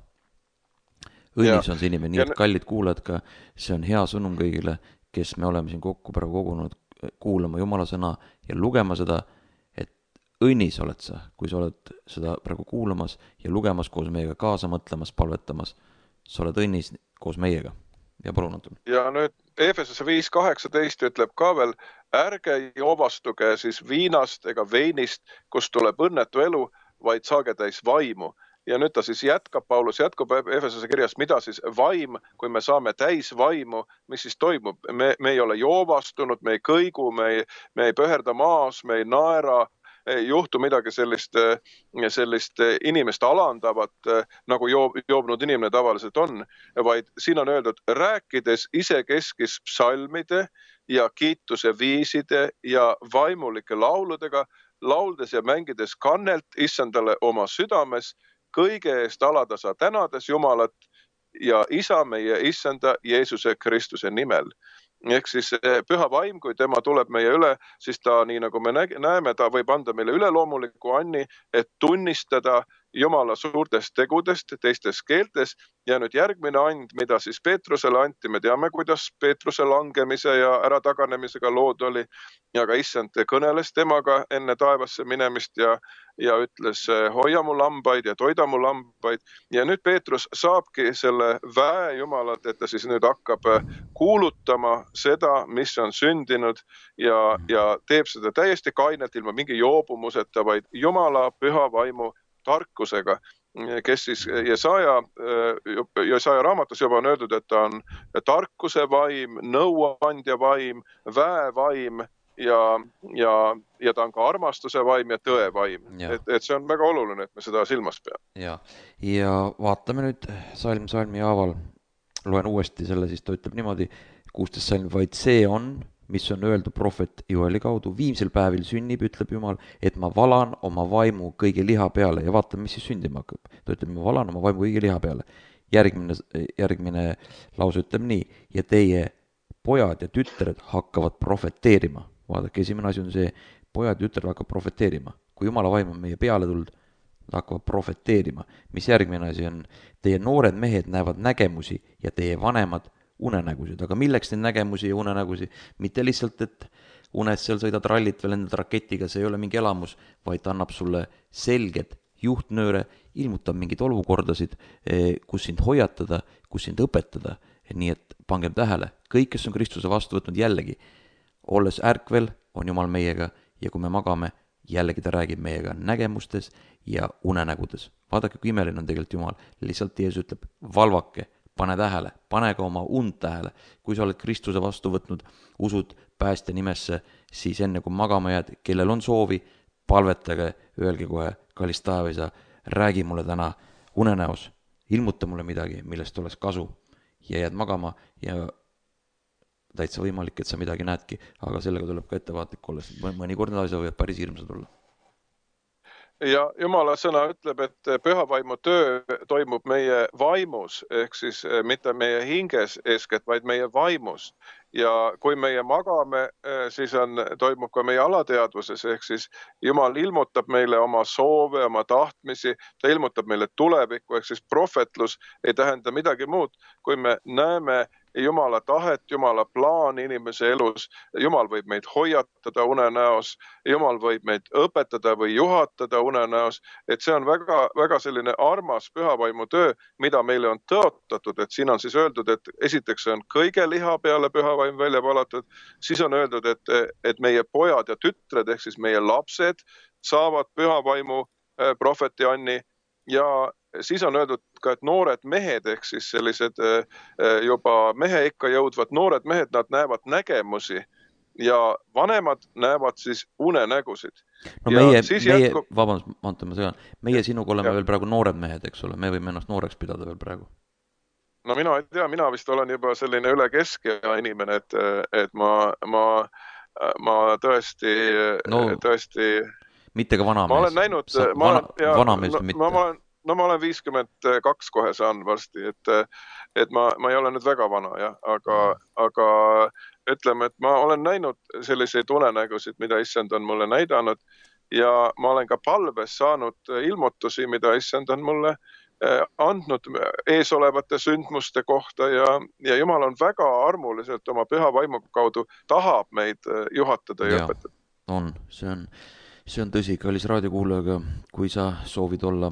Õnnis ja. On see inimene, nii et kallid kuulajad ka, see on hea sõnum kõigile, kes me oleme siin kokku praegu kogunud kuulama Jumala sõna ja lugema seda, et õnnis oled sa, kui sa oled seda praegu kuulamas ja lugemas koos meiega, kaasa mõtlemas, palvetamas, sa oled õnnis koos meiega. Ja palun, Anton. Ja nüüd Efesose viis kaheksateist ütleb ka veel, ärge joovastuge siis viinast ega veinist, kus tuleb õnnetu elu, vaid saage täis vaimu. Ja nüüd ta siis jätkab, Paulus jätkab Efesose kirjast, mida siis vaim, kui me saame täis vaimu, mis siis toimub? Me, me ei ole joovastunud, me ei kõigu, me ei, me ei pöherda maas, me ei naera, ei juhtu midagi sellist, sellist inimest alandavat, nagu joob, joobnud inimene tavaliselt on, vaid siin on öeldud, rääkides isekeskis psalmide ja kiituse viiside ja vaimulike lauludega, lauldes ja mängides kannelt issandale oma südames, kõige eest aladasa tänades Jumalat ja isa meie issanda Jeesuse Kristuse nimel. Ehk siis püha vaim, kui tema tuleb meie üle, siis ta, nii nagu me näeme, ta võib anda meile üleloomuliku anni, et tunnistada Jumala suurtest tegudest teistes keeltes. Ja nüüd järgmine and, mida siis Peetrusele anti, me teame, kuidas Peetruse langemise ja ärataganemisega lood oli. Ja ka issand kõneles temaga enne taevasse minemist ja, ja ütles, hoia mu lambaid ja toida mu lambaid. Ja nüüd Peetrus saabki selle väe Jumalat, et ta siis nüüd hakkab kuulutama seda, mis on sündinud ja, ja teeb seda täiesti kainelt ilma mingi joobumuseta, vaid Jumala püha vaimu tarkusega, kes siis Jesaja, Jesaja raamatus juba on öeldud, et ta on tarkuse vaim, nõuandja vaim, väevaim ja, ja, ja ta on ka armastuse vaim ja tõe vaim. Et, et see on väga oluline, et me seda silmas peame. Ja, ja vaatame nüüd salm salmi haaval, loen uuesti selle, siis ta ütleb niimoodi, kuusteist salm, vaid see on mis on öeldud prohvet Joeli kaudu, viimsel päevil sünnib, ütleb Jumal, et ma valan oma vaimu kõigi liha peale ja vaatame, mis siis sündima hakkab. Ta ütleb, ma valan oma vaimu kõigi liha peale. Järgmine, järgmine lause ütleb nii, ja teie pojad ja tütred hakkavad prohveteerima. Vaadake, esimene asi on see, pojad ja tütred hakkavad prohveteerima. Kui Jumala vaim on meie peale tulnud, nad hakkavad prohveteerima. Mis järgmine asi on, teie noored mehed näevad nägemusi ja teie vanemad unenägusid, aga milleks neid nägemusi ja unenägusi? Mitte lihtsalt, et unes seal sõidad rallit või lendad raketiga, see ei ole mingi elamus, vaid ta annab sulle selged juhtnööre, ilmutab mingeid olukordasid, kus sind hoiatada, kus sind õpetada. Nii et pangem tähele, kõik, kes on Kristuse vastu võtnud jällegi, olles ärkvel, on Jumal meiega ja kui me magame, jällegi ta räägib meiega nägemustes ja unenägudes. Vaadake, kui imeline on tegelikult Jumal. Lihtsalt Jeesus ütleb, valvake, pane tähele, pane ka oma und tähele. Kui sa oled Kristuse vastu võtnud, usud päästja nimesse, siis enne kui magama jääd, kellel on soovi, palvetage, öelge kohe, kallis taevaisa, räägi mulle täna unenäos, ilmuta mulle midagi, millest oleks kasu ja jääd magama ja täitsa võimalik, et sa midagi näedki, aga sellega tuleb ka ettevaatlik olla, sest mõnikord need asjad võivad päris hirmsad olla. Ja Jumala sõna ütleb, et pühavaimu töö toimub meie vaimus, ehk siis mitte meie hinges eeskätt, vaid meie vaimus. Ja kui meie magame, siis on, toimub ka meie alateadvuses, ehk siis Jumal ilmutab meile oma soove, oma tahtmisi, ta ilmutab meile tulevikku, ehk siis prohvetlus ei tähenda midagi muud, kui me näeme Jumala tahet, Jumala plaan inimese elus. Jumal võib meid hoiatada unenäos, Jumal võib meid õpetada või juhatada unenäos, et see on väga, väga selline armas pühavaimu töö, mida meile on tõotatud, et siin on siis öeldud, et esiteks on kõige liha peale pühavaim välja valatud, siis on öeldud, et, et meie pojad ja tütred, ehk siis meie lapsed saavad pühavaimu prohveti Anni ja siis on öeldud ka, et noored mehed, ehk siis sellised juba mehe ikka jõudvad noored mehed, nad näevad nägemusi ja vanemad näevad siis unenägusid. No ja meie, meie jätku... vabandust, Anton, ma segan, meie sinuga oleme ja. veel praegu noored mehed, eks ole, me võime ennast nooreks pidada veel praegu. No mina ei tea, mina vist olen juba selline üle keskea inimene, et, et ma, ma, ma tõesti, no, tõesti... mitte ka vanamees. Ma olen näinud... Sa, ma vana, olen, ja, vanamees no, mitte. No, ma olen, no ma olen viiskümmend kaks kohe saan varsti, et, et ma, ma ei ole nüüd väga vana, jah, aga, aga ütleme, et ma olen näinud selliseid unenägusid, mida issand on mulle näidanud ja ma olen ka palves saanud ilmutusi, mida issand on mulle andnud eesolevate sündmuste kohta ja, ja Jumal on väga armuliselt oma püha vaimu kaudu tahab meid juhatada ja, ja õpetada. On, see on, see on tõsi, kallis raadiokuulajaga, kui sa soovid olla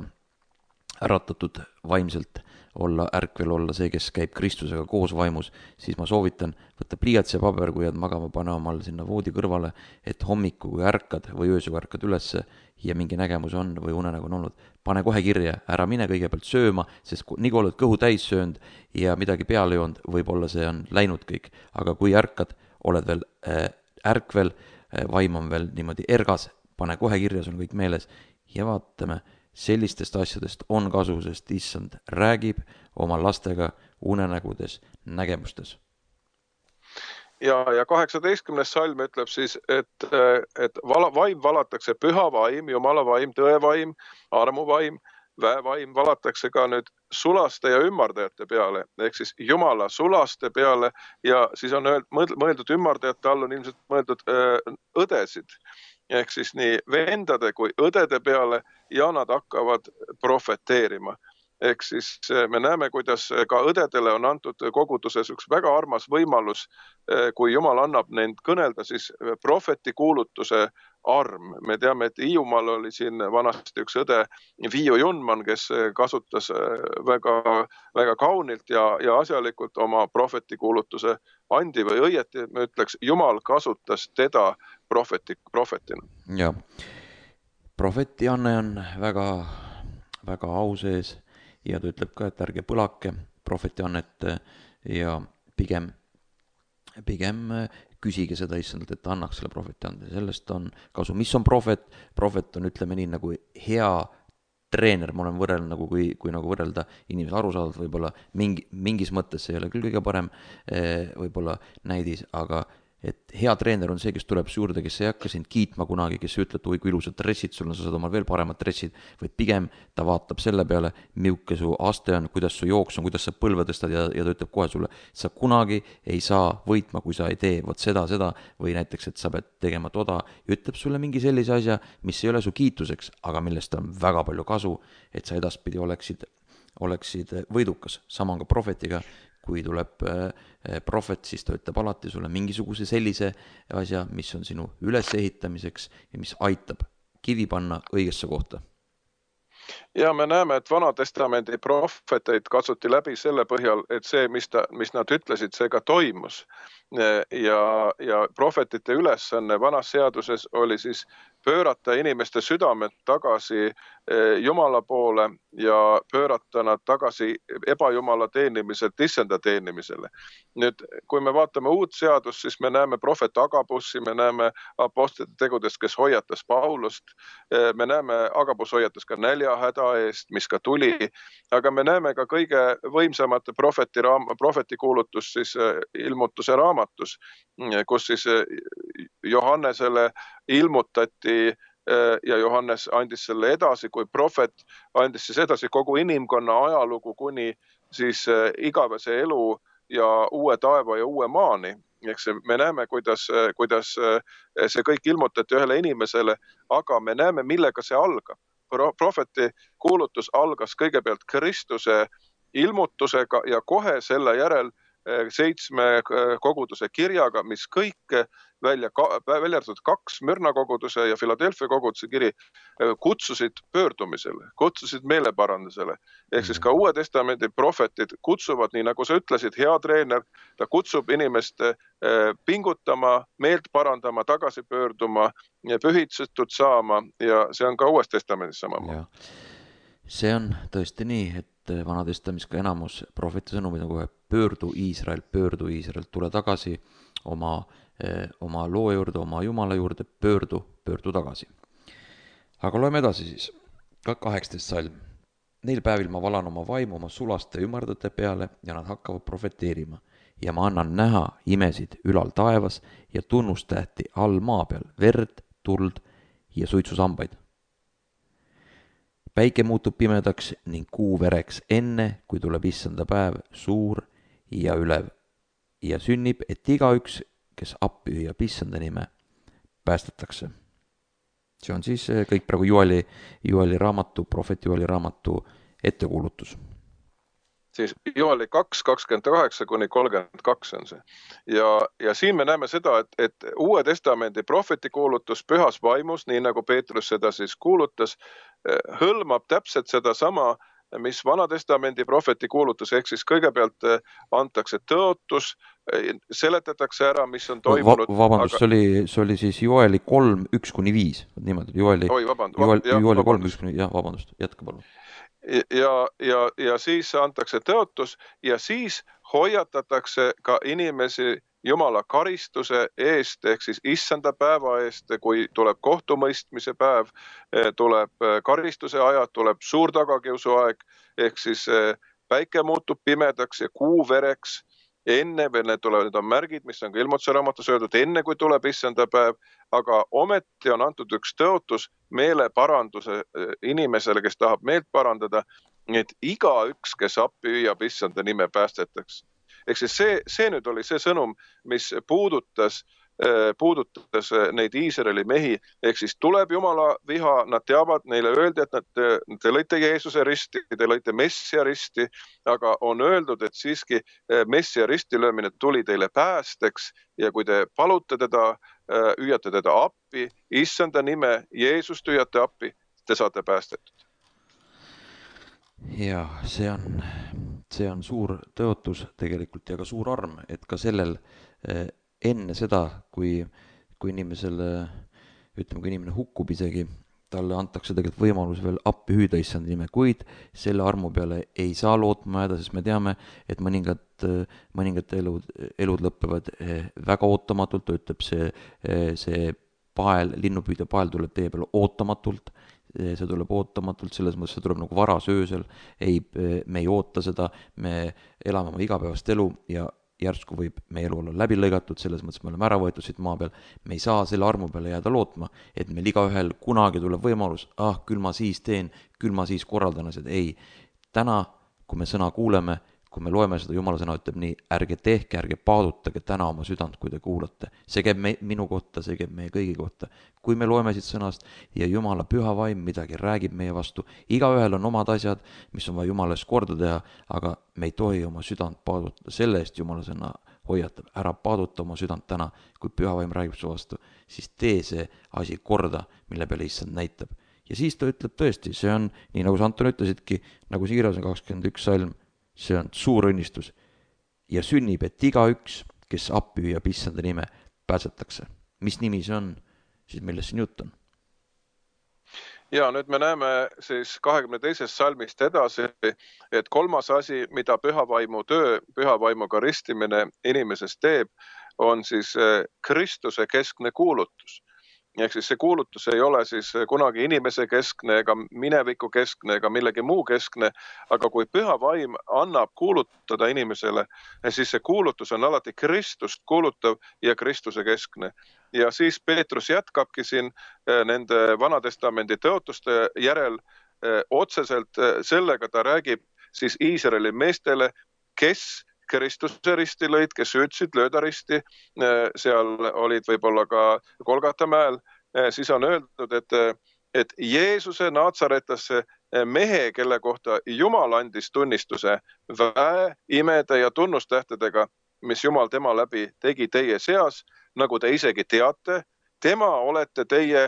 äratatud vaimselt, olla ärkvel, olla see, kes käib Kristusega koos vaimus, siis ma soovitan võtta pliiats ja paber, kui jääd magama, pane omal sinna voodi kõrvale, et hommiku, kui ärkad või öösel ärkad ülesse ja mingi nägemus on või unenägu on olnud, pane kohe kirja, ära mine kõigepealt sööma, sest nii kui oled kõhu täis söönud ja midagi peale joonud, võib-olla see on läinud kõik, aga kui ärkad, oled veel äh, ärkvel, äh, vaim on veel niimoodi ergas, pane kohe kirja, sul on kõik meeles ja vaatame, sellistest asjadest on kasu, sest issand räägib oma lastega unenägudes, nägemustes. Ja, ja kaheksateistkümnes salm ütleb siis, et, et vala, vaim valatakse püha vaim, Jumala vaim, tõevaim, armuvaim, väevaim valatakse ka nüüd sulaste ja ümmardajate peale, ehk siis Jumala sulaste peale ja siis on mõeldud ümmardajate all on ilmselt mõeldud öö, õdesid. Ehk siis nii vendade kui õdede peale ja nad hakkavad prohveteerima. Ehk siis me näeme, kuidas ka õdedele on antud koguduses üks väga armas võimalus, kui Jumal annab neid kõnelda, siis prohveti kuulutuse arm. Me teame, et Hiiumaal oli siin vanasti üks õde Viiu Junman, kes kasutas väga, väga kaunilt ja, ja asjalikult oma prohveti kuulutuse andi või õieti, me ütleks, Jumal kasutas teda prohveti, prohvetina. Ja, prohveti Anne on väga, väga au sees ja ta ütleb ka, et ärge põlake prohveti Annet ja pigem, pigem küsige seda issandalt, et ta annaks selle prohveti ande. Sellest on kasu. Mis on prohvet? Prohvet on, ütleme nii, nagu hea treener, ma olen võrrelnud, nagu kui, kui nagu võrrelda inimese arusaadavalt, võib-olla mingi, mingis mõttes see ei ole küll kõige parem võib-olla näidis, aga et hea treener on see, kes tuleb su juurde, kes ei hakka sind kiitma kunagi, kes ei ütle, et oi kui ilusad dressid sul on, sa saad omal veel paremad dressid, vaid pigem ta vaatab selle peale, milline su aste on, kuidas su jooks on, kuidas sa põlve tõstad ja, ja ta ütleb kohe sulle, sa kunagi ei saa võitma, kui sa ei tee vot seda, seda või näiteks, et sa pead tegema toda ja ütleb sulle mingi sellise asja, mis ei ole su kiituseks, aga millest on väga palju kasu, et sa edaspidi oleksid, oleksid võidukas. Sama on ka prohvetiga, kui tuleb prohvet, siis ta ütleb alati sulle mingisuguse sellise asja, mis on sinu ülesehitamiseks ja mis aitab kivi panna õigesse kohta. Ja me näeme, et Vanatestamendi prohveteid katsuti läbi selle põhjal, et see, mis, ta, mis nad ütlesid, see ka toimus. Ja, ja prohvetite ülesanne vanas seaduses oli siis pöörata inimeste südamed tagasi Jumala poole ja pöörata nad tagasi ebajumala teenimiselt issanda teenimisele. Nüüd, kui me vaatame uut seadust, siis me näeme prohvet Agabussi, me näeme apostlite tegudest, kes hoiatas Paulust, me näeme Agabus hoiatas ka näljahäda eest, mis ka tuli, aga me näeme ka kõige võimsamate prohveti, prohveti kuulutus siis ilmutuse raamatus, kus siis Johannesele ilmutati ja Johannes andis selle edasi, kui prohvet andis siis edasi kogu inimkonna ajalugu kuni siis igavese elu ja uue taeva ja uue maani. Eks me näeme, kuidas, kuidas see kõik ilmutati ühele inimesele, aga me näeme, millega see algab. Prohveti kuulutus algas kõigepealt Kristuse ilmutusega ja kohe selle järel seitsme koguduse kirjaga, mis kõik välja, välja arvatud kaks Mürna koguduse ja Philadelphia koguduse kiri kutsusid pöördumisele, kutsusid meeleparandusele. Ehk siis ka Uue Testamendi prohvetid kutsuvad, nii nagu sa ütlesid, hea treener, ta kutsub inimest pingutama, meelt parandama, tagasi pöörduma, pühitsetud saama ja see on ka Uues Testamendis samamoodi. See on tõesti nii, et Vanatestamis ka enamus prohveti sõnumid on kohe pöördu Iisrael, pöördu Iisrael, tule tagasi oma, oma loo juurde, oma Jumala juurde, pöördu, pöördu tagasi. Aga loeme edasi siis, ka kaheksateist salm. Neil päevil ma valan oma vaimu oma sulaste ümardate peale ja nad hakkavad profeteerima ja ma annan näha imesid ülal taevas ja tunnustähti all maa peal, verd, tuld ja suitsusambaid. Päike muutub pimedaks ning kuu vereks enne, kui tuleb issanda päev suur ja ülev ja sünnib, et igaüks, kes appi hüüab issanda nime, päästetakse. See on siis kõik praegu Joeli, Joeli raamatu, prohvet Joeli raamatu ettekuulutus. Siis Joeli kaks, kakskümmend kaheksa kuni kolmkümmend kaks on see. Ja, ja siin me näeme seda, et, et Uue Testamendi prohveti kuulutus pühas vaimus, nii nagu Peetrus seda siis kuulutas, hõlmab täpselt seda sama, mis Vanatestamendi prohveti kuulutus, ehk siis kõigepealt antakse tõotus, seletatakse ära, mis on toimunud. Vabandust, aga... see, oli, see oli siis Joeli kolm, üks kuni viis. Niimoodi, Joeli, Oi, vabandust, Joeli, jah, Joeli kolm, üks kuni viis, jah, vabandust, jätka palun. Ja, ja, ja siis antakse tõotus ja siis hoiatatakse ka inimesi Jumala karistuse eest, ehk siis issanda päeva eest, kui tuleb kohtumõistmise päev, tuleb karistuse ajad, tuleb suur tagakiusu aeg, ehk siis päike muutub pimedaks ja kuu vereks, enne, veel need tulevad, need on märgid, mis on ka ilmutuse raamatus öeldud, enne kui tuleb issanda päev, aga ometi on antud üks tõotus meeleparanduse inimesele, kes tahab meelt parandada, et igaüks, kes appi hüüab issanda nime, päästetakse. Ehk siis see, see nüüd oli see sõnum, mis puudutas, puudutas neid Iisraeli mehi, ehk siis tuleb Jumala viha, nad teavad, neile öeldi, et nad, te lõite Jeesuse risti, te lõite Messia risti, aga on öeldud, et siiski Messia risti löömine tuli teile päästeks ja kui te palute teda, hüüate teda appi, issanda nime, Jeesust hüüate appi, te saate päästetud. Ja see on, see on suur tõotus tegelikult ja ka suur arm, et ka sellel enne seda, kui, kui inimesele, ütleme, kui inimene hukkub isegi, talle antakse tegelikult võimalus veel appi hüüda issanda nime, kuid selle armu peale ei saa lootma jääda, sest me teame, et mõningad, mõningad elud, elud lõppevad väga ootamatult, ütleb see, see pael, linnupüüdja pael tuleb teie peale ootamatult, see tuleb ootamatult, selles mõttes see tuleb nagu varas öösel, ei, me ei oota seda, me elame oma igapäevast elu ja järsku võib meie elu olla läbi lõigatud, selles mõttes me oleme ära võetud siit maa peal, me ei saa selle armu peale jääda lootma, et meil igaühel kunagi tuleb võimalus, ah, küll ma siis teen, küll ma siis korraldan asjad, ei. Täna, kui me sõna kuuleme, kui me loeme seda, Jumala sõna ütleb nii, ärge tehke, ärge paadutage täna oma südant, kui te kuulate. See käib me, minu kohta, see käib meie kõigi kohta. Kui me loeme siit sõnast ja Jumala püha vaim midagi räägib meie vastu, igaühel on omad asjad, mis on vaja Jumala eest korda teha, aga me ei tohi oma südant paadutada, selle eest Jumala sõna hoiatab, ära paaduta oma südant täna, kui püha vaim räägib su vastu, siis tee see asi korda, mille peale issand näitab. Ja siis ta ütleb tõesti, see on, nii nagu sa Anton ütlesidki, nagu siiras on kakskümmend üks salm, see on suur õnnistus ja sünnib, et igaüks, kes appi hüüab issanda nime, pääsetakse. Mis nimi see on, siis millest siin jutt on? Ja nüüd me näeme siis kahekümne teisest salmist edasi, et kolmas asi, mida pühavaimu töö, pühavaimuga ristimine inimesest teeb, on siis Kristuse keskne kuulutus. Ehk siis see kuulutus ei ole siis kunagi inimese keskne ega mineviku keskne ega millegi muu keskne, aga kui püha vaim annab kuulutada inimesele, siis see kuulutus on alati Kristust kuulutav ja Kristuse keskne. Ja siis Peetrus jätkabki siin nende Vanatestamendi tõotuste järel otseselt sellega ta räägib siis Iisraeli meestele, kes Kristuse risti lõid, kes ütlesid lööda risti, seal olid võib-olla ka Golgata mäel, siis on öeldud, et, et Jeesuse Naatsaretlasse mehe, kelle kohta Jumal andis tunnistuse väe, imede ja tunnustähtedega, mis Jumal tema läbi tegi teie seas, nagu te isegi teate, tema olete teie,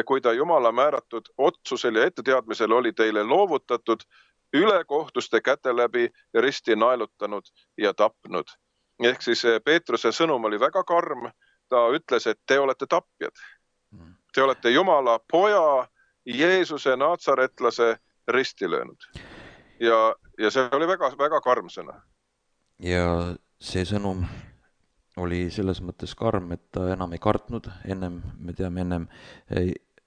kui ta Jumala määratud otsusel ja etteteadmisel oli teile loovutatud, ülekohtuste käte läbi risti naelutanud ja tapnud. Ehk siis Peetruse sõnum oli väga karm. Ta ütles, et te olete tapjad. Te olete Jumala poja, Jeesuse Naatsaretlase risti löönud. Ja, ja see oli väga, väga karm sõna. Ja see sõnum oli selles mõttes karm, et ta enam ei kartnud. Ennem, me teame ennem,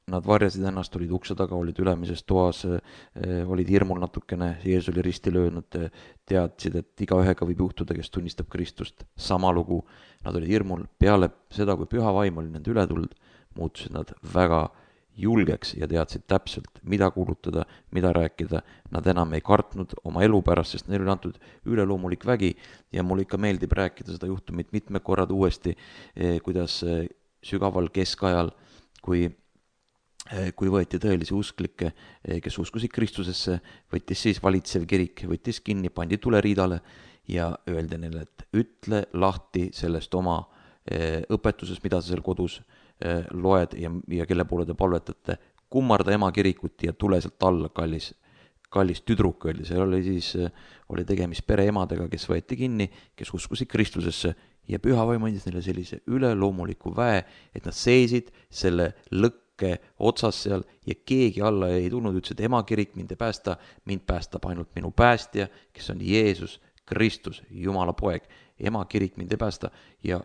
nad varjasid ennast, olid ukse taga, olid ülemises toas, olid hirmul natukene, Jeesus oli risti löönud, teadsid, et igaühega võib juhtuda, kes tunnistab Kristust. Sama lugu, nad olid hirmul. Peale seda, kui püha vaim oli nende ületuld, muutusid nad väga julgeks ja teadsid täpselt, mida kuulutada, mida rääkida. Nad enam ei kartnud oma elu pärast, sest neil oli antud üleloomulik vägi ja mul ikka meeldib rääkida seda juhtumit mitmed korrad uuesti, kuidas sügaval keskajal, kui kui võeti tõelisi usklikke, kes uskusid Kristusesse, võttis siis valitsev kirik, võttis kinni, pandi tuleriidale ja öeldi neile, et ütle lahti sellest oma õpetusest, mida sa seal kodus loed ja, ja kelle poole te palvetate, kummarda ema kirikut ja tule sealt alla, kallis, kallis tüdruk öeldi. See oli siis, oli tegemist pereemadega, kes võeti kinni, kes uskusid Kristusesse ja püha vaim andis neile sellise üleloomuliku väe, et nad seisid selle lõkke otsas seal ja keegi alla ei tulnud, ütles, et ema kirik mind ei päästa, mind päästab ainult minu päästja, kes on Jeesus Kristus, Jumala poeg. Ema kirik mind ei päästa ja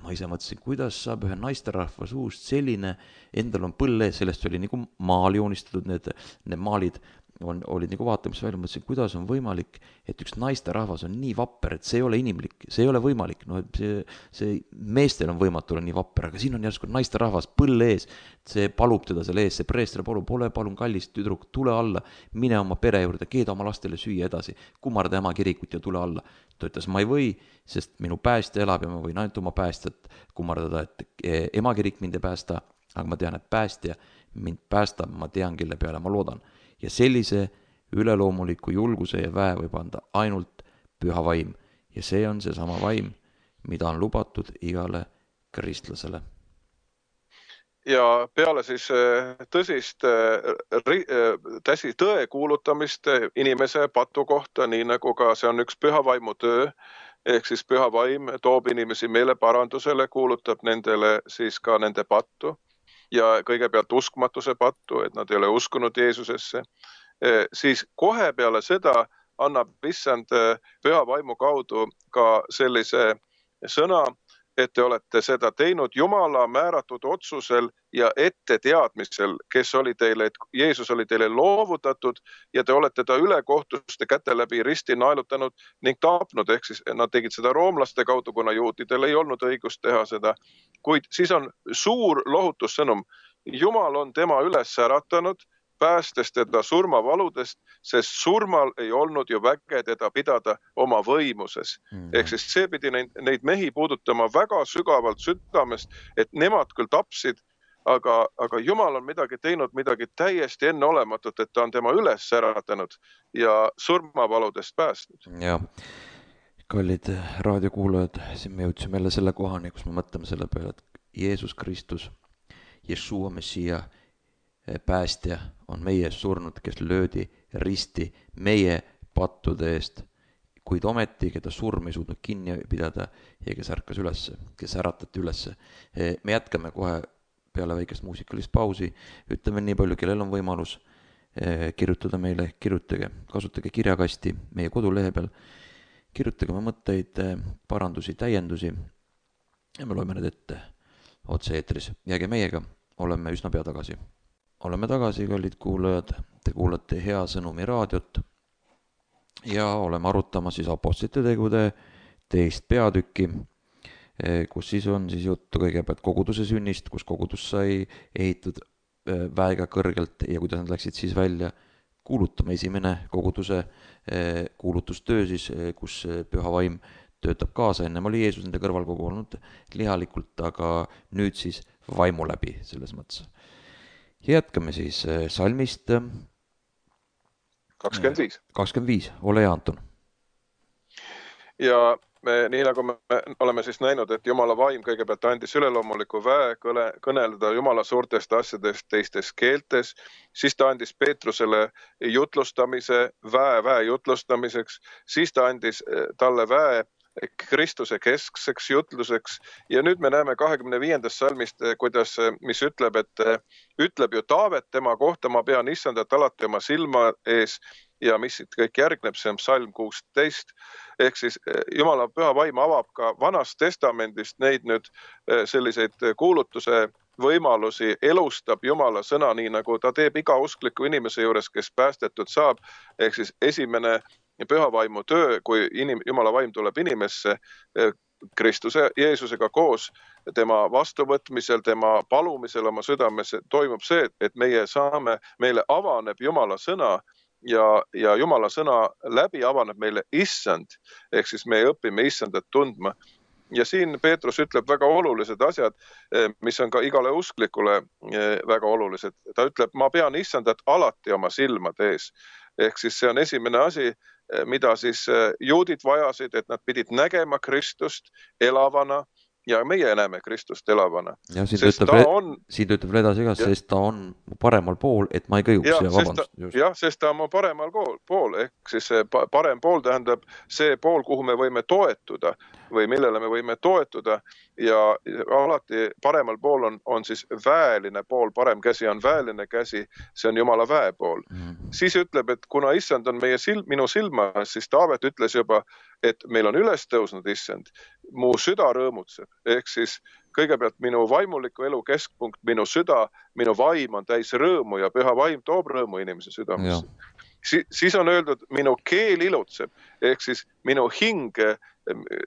ma ise mõtlesin, kuidas saab ühe naisterahva suust selline, endal on põlle, sellest oli nagu maal joonistatud, need, need maalid on, olid nagu vaatamis välja, mõtlesin, kuidas on võimalik, et üks naisterahvas on nii vapper, et see ei ole inimlik, see ei ole võimalik, no see, see meestel on võimatu olla nii vapper, aga siin on järsku naisterahvas põlle ees, see palub teda selle ees, see preester palub, ole palun kallis tüdruk, tule alla, mine oma pere juurde, keeda oma lastele süüa edasi, kummarda ema kirikut ja tule alla. Ta ütles, ma ei või, sest minu päästja elab ja ma võin ainult oma päästjat kummardada, et ema kirik mind ei päästa, aga ma tean, et päästja mind päästab, ma tean, kelle peale ma loodan. Ja sellise üleloomuliku julguse ja väe võib anda ainult püha vaim. Ja see on see sama vaim, mida on lubatud igale kristlasele. Ja peale siis tõsist täsi tõe kuulutamist inimese patu kohta, nii nagu ka see on üks püha vaimu töö, ehk siis püha vaim toob inimesi meele parandusele, kuulutab nendele siis ka nende pattu. Ja kõigepealt uskmatuse pattu, et nad ei ole uskunud Jeesusesse, siis kohe peale seda annab issand püha vaimu kaudu ka sellise sõna, et te olete seda teinud Jumala määratud otsusel ja ette teadmisel, kes oli teile, et Jeesus oli teile loovutatud ja te olete ta ülekohtuste käte läbi risti naelutanud ning tapnud, ehk siis nad tegid seda roomlaste kaudu, kuna juutidel ei olnud õigust teha seda. Kuid siis on suur lohutussõnum. Jumal on tema üles äratanud, päästes teda surmavaludest, sest surmal ei olnud ju väge teda pidada oma võimuses. Mm. Ehk siis see pidi neid, neid mehi puudutama väga sügavalt südamest, et nemad küll tapsid, aga, aga Jumal on midagi teinud, midagi täiesti enneolematut, et ta on tema üles äratanud ja surmavaludest päästnud. Ja, kallid raadiokuulajad, siin me jõudsime jälle selle kohani, kus me mõtleme selle peale, et Jeesus Kristus, Jeshua Messia, päästja on meie surnud, kes löödi risti meie pattude eest, kuid ometi, keda surm ei suutnud kinni pidada ja kes ärkas ülesse, kes äratati ülesse. Me jätkame kohe peale väikest muusikalist pausi, ütleme nii palju, kellel on võimalus kirjutada meile, kirjutage, kasutage kirjakasti meie kodulehe peal, kirjutage oma mõtteid, parandusi, täiendusi ja me loeme need ette otse eetris. Jääge meiega, oleme üsna pea tagasi. Oleme tagasi, kallid kuulajad, te kuulate Hea Sõnumi raadiot ja oleme arutama siis apostlite tegude teist peatükki, kus siis on siis juttu kõigepealt koguduse sünnist, kus kogudus sai ehitud väega kõrgelt ja kuidas nad läksid siis välja kuulutama. Esimene koguduse kuulutustöö siis, kus Püha Vaim töötab kaasa, ennem oli Jeesus nende kõrval kogu olnud lihalikult, aga nüüd siis vaimu läbi selles mõttes. Jätkame siis salmist kakskümmend viis. kakskümmend viis, ole hea, Anton. Ja me, nii nagu me oleme siis näinud, et Jumala vaim kõigepealt andis üleloomuliku väe kõle, kõneleda Jumala suurtest asjadest teistes keeltes, siis ta andis Peetrusele jutlustamise, väe, väe jutlustamiseks, siis ta andis talle väe Kristuse keskseks jutluseks ja nüüd me näeme kahekümne viiendast salmist, kuidas, mis ütleb, et ütleb ju Taavet tema kohta, ma pean issandat alati oma silma ees ja mis siit kõik järgneb, see on salm kuusteist, ehk siis Jumala püha vaim avab ka Vanast testamendist neid nüüd selliseid kuulutuse võimalusi, elustab Jumala sõna nii, nagu ta teeb iga uskliku inimese juures, kes päästetud saab, ehk siis esimene püha vaimu töö, kui inim, Jumala vaim tuleb inimesse Kristuse, Jeesusega koos, tema vastuvõtmisel, tema palumisel oma südames toimub see, et meie saame, meile avaneb Jumala sõna ja, ja Jumala sõna läbi avaneb meile issand, ehk siis me õpime issandat tundma. Ja siin Peetrus ütleb väga olulised asjad, mis on ka igale usklikule väga olulised. Ta ütleb, ma pean issandat alati oma silmade ees. Ehk siis see on esimene asi, mida siis juudid vajasid, et nad pidid nägema Kristust elavana ja meie näeme Kristust elavana. Ja siin töötab on... ütleb edasi ka, sest ta on paremal pool, et ma ei kõiguks. Ja, ja, sest ta, jah, sest ta on paremal pool, ehk siis see parem pool tähendab see pool, kuhu me võime toetuda või millele me võime toetuda ja alati paremal pool on, on siis väeline pool, parem käsi on väeline käsi, see on Jumala väe pool. Mm. Siis ütleb, et kuna issand on meie silm, minu silma, siis Taavet ütles juba, et meil on üles tõusnud issand, mu süda rõõmutseb, ehk siis kõigepealt minu vaimuliku elu keskpunkt, minu süda, minu vaim on täis rõõmu ja püha vaim toob rõõmu inimese südamesse. Si, siis on öeldud, minu keel ilutseb, ehk siis minu hing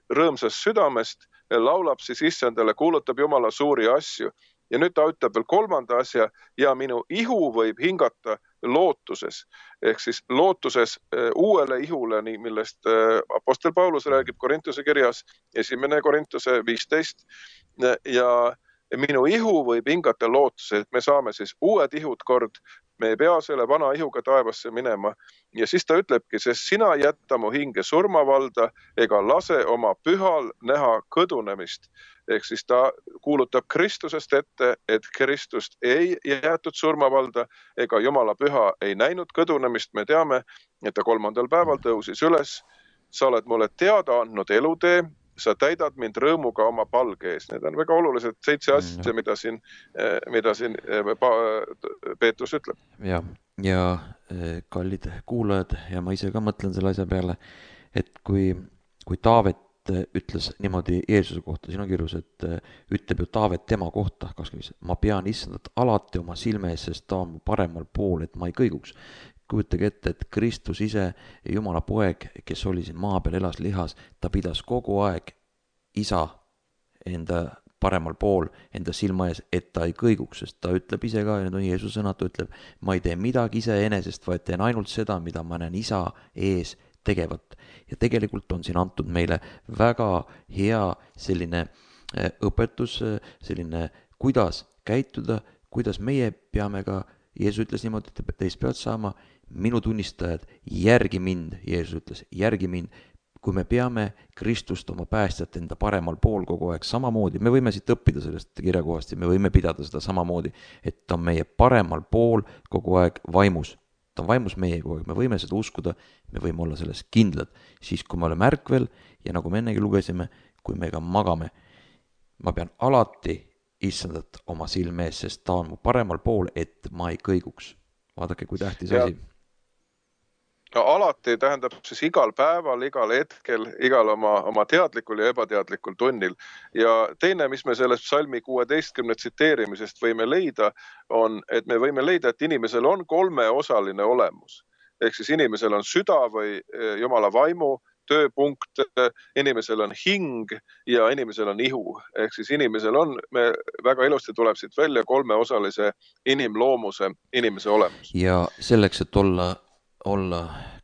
rõõmsast südamest laulab siis issandale, kuulutab Jumala suuri asju. Ja nüüd ta ütleb veel kolmanda asja ja minu ihu võib hingata lootuses, ehk siis lootuses uuele ihule, nii millest apostel Paulus räägib Korintuse kirjas, esimene Korintuse viisteist ja minu ihu võib hingata lootuse, et me saame siis uued ihud kord, me ei pea selle vana ihuga taevasse minema ja siis ta ütlebki, sest sina jätta mu hinge surmavalda ega lase oma pühal näha kõdunemist. Ehk siis ta kuulutab Kristusest ette, et Kristust ei jäetud surmavalda ega Jumala püha ei näinud kõdunemist. Me teame, et ta kolmandal päeval tõusis üles. Sa oled mulle teada andnud elutee, sa täidad mind rõõmuga oma palge ees. Need on väga olulised seitse asja, mida siin, mida siin Peetrus ütleb. Ja, ja kallid kuulajad ja ma ise ka mõtlen selle asja peale, et kui, kui Taavet ütles niimoodi Jeesuse kohta, siin on kirjus, et ütleb ju Taavet tema kohta, kakskümmend viis, ma pean issandat alati oma silme ees, sest ta on mu paremal pool, et ma ei kõiguks. Kujutage ette, et Kristus ise, Jumala poeg, kes oli siin maa peal, elas lihas, ta pidas kogu aeg isa enda paremal pool, enda silma ees, et ta ei kõiguks, sest ta ütleb ise ka, ja need on Jeesuse sõnad, ta ütleb, ma ei tee midagi iseenesest, vaid teen ainult seda, mida ma näen isa ees tegevat. Ja tegelikult on siin antud meile väga hea selline õpetus, selline kuidas käituda, kuidas meie peame ka, Jeesus ütles niimoodi, et teist peavad saama minu tunnistajad, järgi mind, Jeesus ütles, järgi mind, kui me peame Kristust oma päästjat enda paremal pool kogu aeg samamoodi, me võime siit õppida sellest kirjakohast ja me võime pidada seda samamoodi, et ta on meie paremal pool kogu aeg vaimus. Ta on vaimus meie kogu aeg, me võime seda uskuda, me võime olla selles kindlad, siis kui me oleme ärkvel ja nagu me ennegi lugesime, kui me ka magame, ma pean alati issandat oma silme ees, sest ta on mu paremal pool, et ma ei kõiguks. Vaadake, kui tähtis asi. No, alati tähendab siis igal päeval, igal hetkel, igal oma, oma teadlikul ja ebateadlikul tunnil. Ja teine, mis me sellest psalmi kuueteistkümne tsiteerimisest võime leida, on, et me võime leida, et inimesel on kolmeosaline olemus. Ehk siis inimesel on süda või Jumala vaimu tööpunkt, inimesel on hing ja inimesel on ihu. Ehk siis inimesel on, me väga ilusti tuleb siit välja kolmeosalise inimloomuse inimese olemus. Ja selleks, et olla olla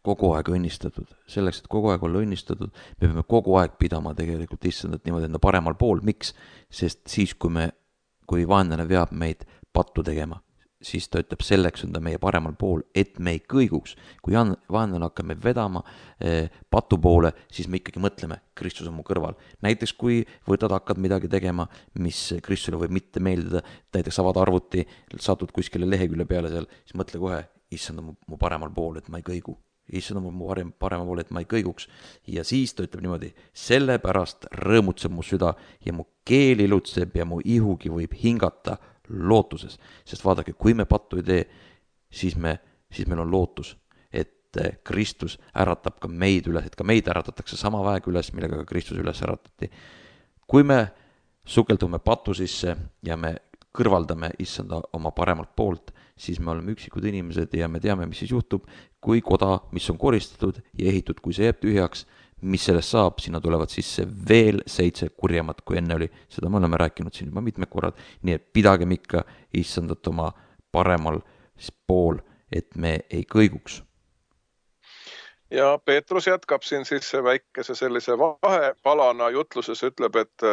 kogu aeg õnnistatud. Selleks, et kogu aeg olla õnnistatud, me peame kogu aeg pidama tegelikult issandat niimoodi enda paremal pool. Miks? Sest siis, kui me, kui vaenlane veab meid pattu tegema, siis ta ütleb, selleks on ta meie paremal pool, et me ei kõiguks. Kui vaenlane hakkab meid vedama eh, patu poole, siis me ikkagi mõtleme, Kristus on mu kõrval. Näiteks, kui võtad, hakkad midagi tegema, mis Kristusele võib mitte meeldida, näiteks avad arvuti, satud kuskile lehekülje peale seal, siis mõtle kohe, issand on mu paremal pool, et ma ei kõigu. Issand on mu paremal pool, et ma ei kõiguks. Ja siis ta ütleb niimoodi, sellepärast rõõmutseb mu süda ja mu keel ilutseb ja mu ihugi võib hingata lootuses. Sest vaadake, kui me pattu ei tee, siis, me, siis meil on lootus, et Kristus äratab ka meid üles, et ka meid äratatakse sama väeg üles, millega ka Kristus üles äratati. Kui me sukeldume patu sisse ja me kõrvaldame issanda oma paremalt poolt, siis me oleme üksikud inimesed ja me teame, mis siis juhtub, kui koda, mis on koristatud ja ehitud, kui see jääb tühjaks, mis sellest saab, sinna tulevad sisse veel seitse kurjemat, kui enne oli. Seda me oleme rääkinud siin juba mitmed korrad, nii et pidagem ikka issandat oma paremal pool, et me ei kõiguks. Ja Peetrus jätkab siin siis väikese sellise vahepalana jutluses, ütleb, et,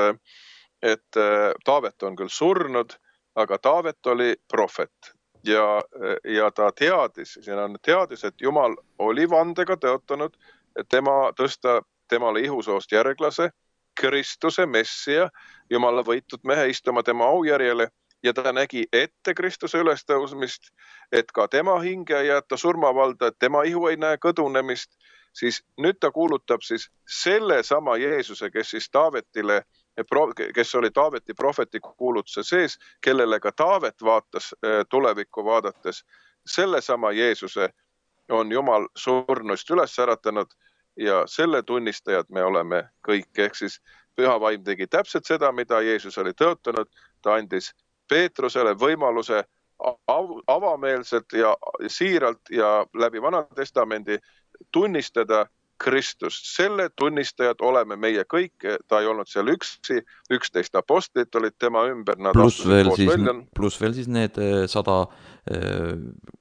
et Taavet on küll surnud, aga Taavet oli prohvet. Ja, ja ta teadis, siin on teadis, et Jumal oli vandega tõotanud, et tema tõsta temale ihusoost järglase, Kristuse messia, Jumala võitud mehe istuma tema aujärjele ja ta nägi ette Kristuse ülestõusmist, et ka tema hinge ei jätta surmavalda, et tema ihu ei näe kõdunemist, siis nüüd ta kuulutab siis selle sama Jeesuse, kes siis Taavetile kes oli Taaveti prohveti kuulutuse sees, kellele ka Taavet vaatas tulevikku vaadates. Selle sama Jeesuse on Jumal surnuist üles äratanud ja selle tunnistajad me oleme kõik. Ehk siis Püha Vaim tegi täpselt seda, mida Jeesus oli tõotanud. Ta andis Peetrusele võimaluse avameelselt ja siiralt ja läbi Vana Testamendi tunnistada Kristust. Selle tunnistajad oleme meie kõik, ta ei olnud seal üksi, üksteist apostlit olid tema ümber. Plus veel, siis, plus veel siis need sada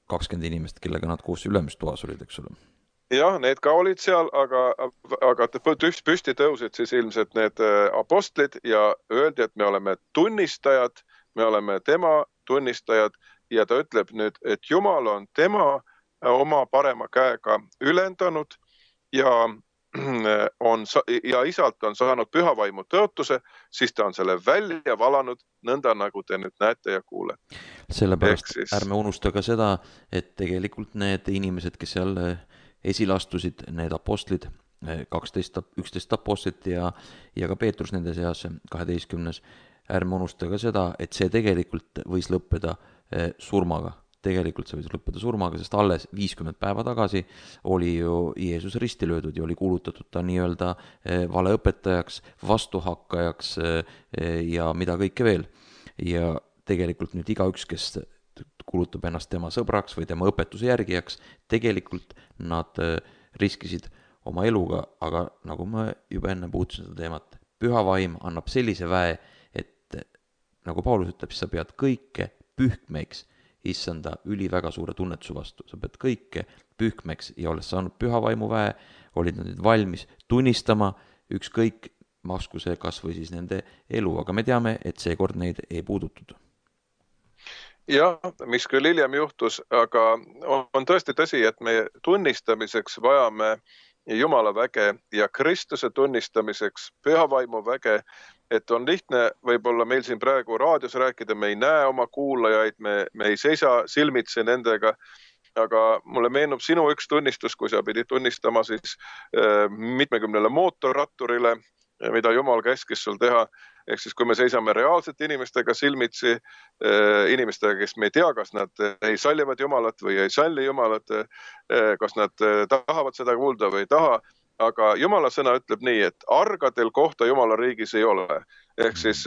kakskümmend inimest, kellega nad koos ülemistoas olid, eks ole. Jah, need ka olid seal, aga, aga püsti tõusid siis ilmselt need apostlid ja öeldi, et me oleme tunnistajad, me oleme tema tunnistajad ja ta ütleb nüüd, et Jumal on tema oma parema käega ülendanud ja, on, ja isalt on saanud Püha Vaimu tõotuse, siis ta on selle välja valanud nõnda, nagu te nüüd näete ja kuule. Sellepärast siis... ärme unusta ka seda, et tegelikult need inimesed, kes seal esilastusid, need apostlid, kaksteist, üksteist apostlit ja, ja ka Peetrus nende seas, kaheteistkümnes, ärme unusta ka seda, et see tegelikult võis lõppeda surmaga. tegelikult see võis lõppeda surmaga, sest alles viiskümmend päeva tagasi oli ju Jeesus risti löödud ja oli kuulutatud ta nii-öelda valeõpetajaks, vastuhakkajaks ja mida kõike veel. Ja tegelikult nüüd igaüks, kes kuulutab ennast tema sõbraks või tema õpetuse järgijaks, tegelikult nad riskisid oma eluga, aga nagu ma juba enne puutusin seda teemat, püha vaim annab sellise väe, et nagu Paulus ütleb, siis sa pead kõike pühkmeks issanda üli väga suure tunnetuse vastu. Sa pead kõike pühkmeks ja olles saanud püha vaimu väe, olid nad nüüd valmis tunnistama ükskõik masku see kas või siis nende elu, aga me teame, et seekord neid ei puudutud. Jah, mis küll hiljem juhtus, aga on tõesti tõsi, et me tunnistamiseks vajame Jumala väge ja Kristuse tunnistamiseks püha vaimu väge, et on lihtne võib-olla meil siin praegu raadios rääkida, me ei näe oma kuulajaid, me, me ei seisa silmitsi nendega, aga mulle meenub sinu üks tunnistus, kui sa pidid tunnistama siis äh, mitmekümnele mootorratturile, mida Jumal käskis sul teha. Ehk siis kui me seisame reaalsete inimestega silmitsi, inimestega, kes me ei tea, kas nad ei sallivad Jumalat või ei salli Jumalat, kas nad tahavad seda kuulda või ei taha, aga Jumala sõna ütleb nii, et argadel kohta Jumala riigis ei ole. Ehk siis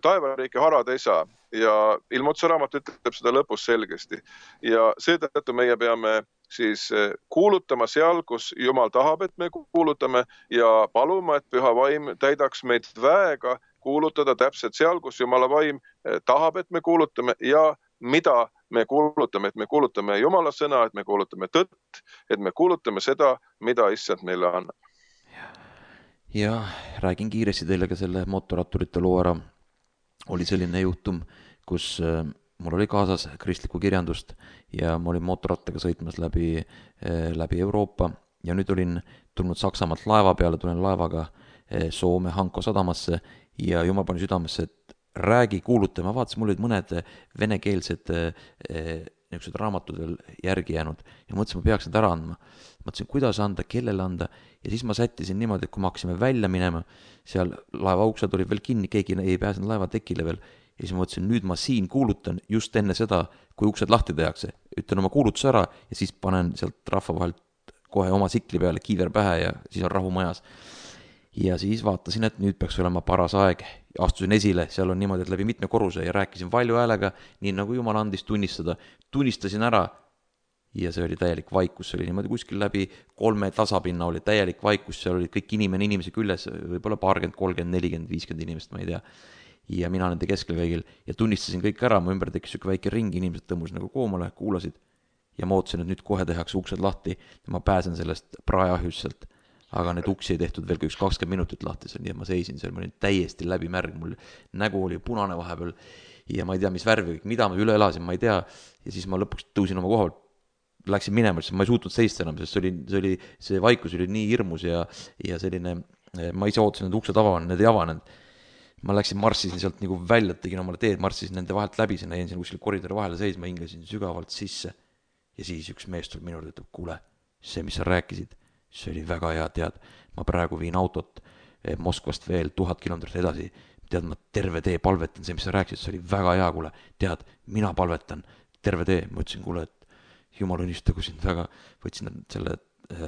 taevariiki harad ei saa ja Ilmutse raamat ütleb seda lõpus selgesti. Ja seetõttu meie peame siis kuulutama seal, kus Jumal tahab, et me kuulutame ja paluma, et püha vaim täidaks meid väega kuulutada täpselt seal, kus Jumala vaim tahab, et me kuulutame ja mida me kuulutame, et me kuulutame Jumala sõna, et me kuulutame tõtt, et me kuulutame seda, mida issand meile annab. Ja räägin kiiresti teile ka selle mootorratturite loo ära. Oli selline juhtum, kus mul oli kaasas kristlikku kirjandust ja ma olin mootorrattaga sõitmas läbi, läbi Euroopa ja nüüd olin tulnud Saksamaalt laeva peale, tulen laevaga Soome Hanko sadamasse ja Jumal pani südamesse, et räägi, kuuluta. Ma vaatasin, mul olid mõned venekeelsed niisugused raamatud veel järgi jäänud ja mõtlesin, ma peaks need ära andma. Mõtlesin, kuidas anda, kellele anda ja siis ma sättisin niimoodi, et kui me hakkasime välja minema, seal laeva uksed olid veel kinni, keegi ei pääsenud laeva tekile veel ja siis ma mõtlesin, nüüd ma siin kuulutan just enne seda, kui uksed lahti tehakse. Ütlen oma kuulutuse ära ja siis panen sealt rahva vahelt kohe oma sikli peale kiiver pähe ja siis on rahu majas. Ja siis vaatasin, et nüüd peaks olema paras aeg. Astusin esile, seal on niimoodi, et läbi mitme korruse ja rääkisin valju häälega, nii nagu Jumal andis tunnistada. Tunnistasin ära ja see oli täielik vaikus, see oli niimoodi kuskil läbi kolme tasapinna oli täielik vaikus, seal olid kõik inimene inimese küljes, võib-olla paarkümmend, kolmkümmend, nelikümmend, viiskümmend inimest, ma ei tea. Ja mina nende keskel kõigil ja tunnistasin kõik ära, mu ümber tekkis üks väike ring, inimesed tõmmus nagu koomale, kuulasid ja ma ootasin, et nüüd kohe tehakse uksed lahti ja ma pääsen sellest praeahjusselt. Aga need uksi ei tehtud veel üks kakskümmend minutit lahti, nii et ma seisin seal, ma olin täiesti läbi märg, mul nägu oli punane vahepeal ja ma ei tea, mis värvi, mida ma üle elasin, ma ei tea. Ja siis ma lõpuks tõusin oma kohal, läksin minema, sest ma ei suutnud seista enam, sest see, oli, see, oli, see vaikus oli nii hirmus ja, ja selline, ma ise ootasin, et uksed avanenud, need ei avanenud. Ma läksin, marssisin sealt nagu välja, tegin omale teed, marssisin nende vahelt läbi, sinna jäin siin kuskil koridori vahele seisma, hingasin sügavalt sisse ja siis üks mees tuleb minule, ütleb, kuule, see, mis sa rääkisid, see oli väga hea, tead, ma praegu viin autot Moskvast veel tuhat kilomeetrit edasi, tead, ma terve tee palvetan, see, mis sa rääkisid, see oli väga hea, kuule, tead, mina palvetan terve tee, ma ütlesin, kuule, et Jumal õnnistagu sind väga, võtsin selle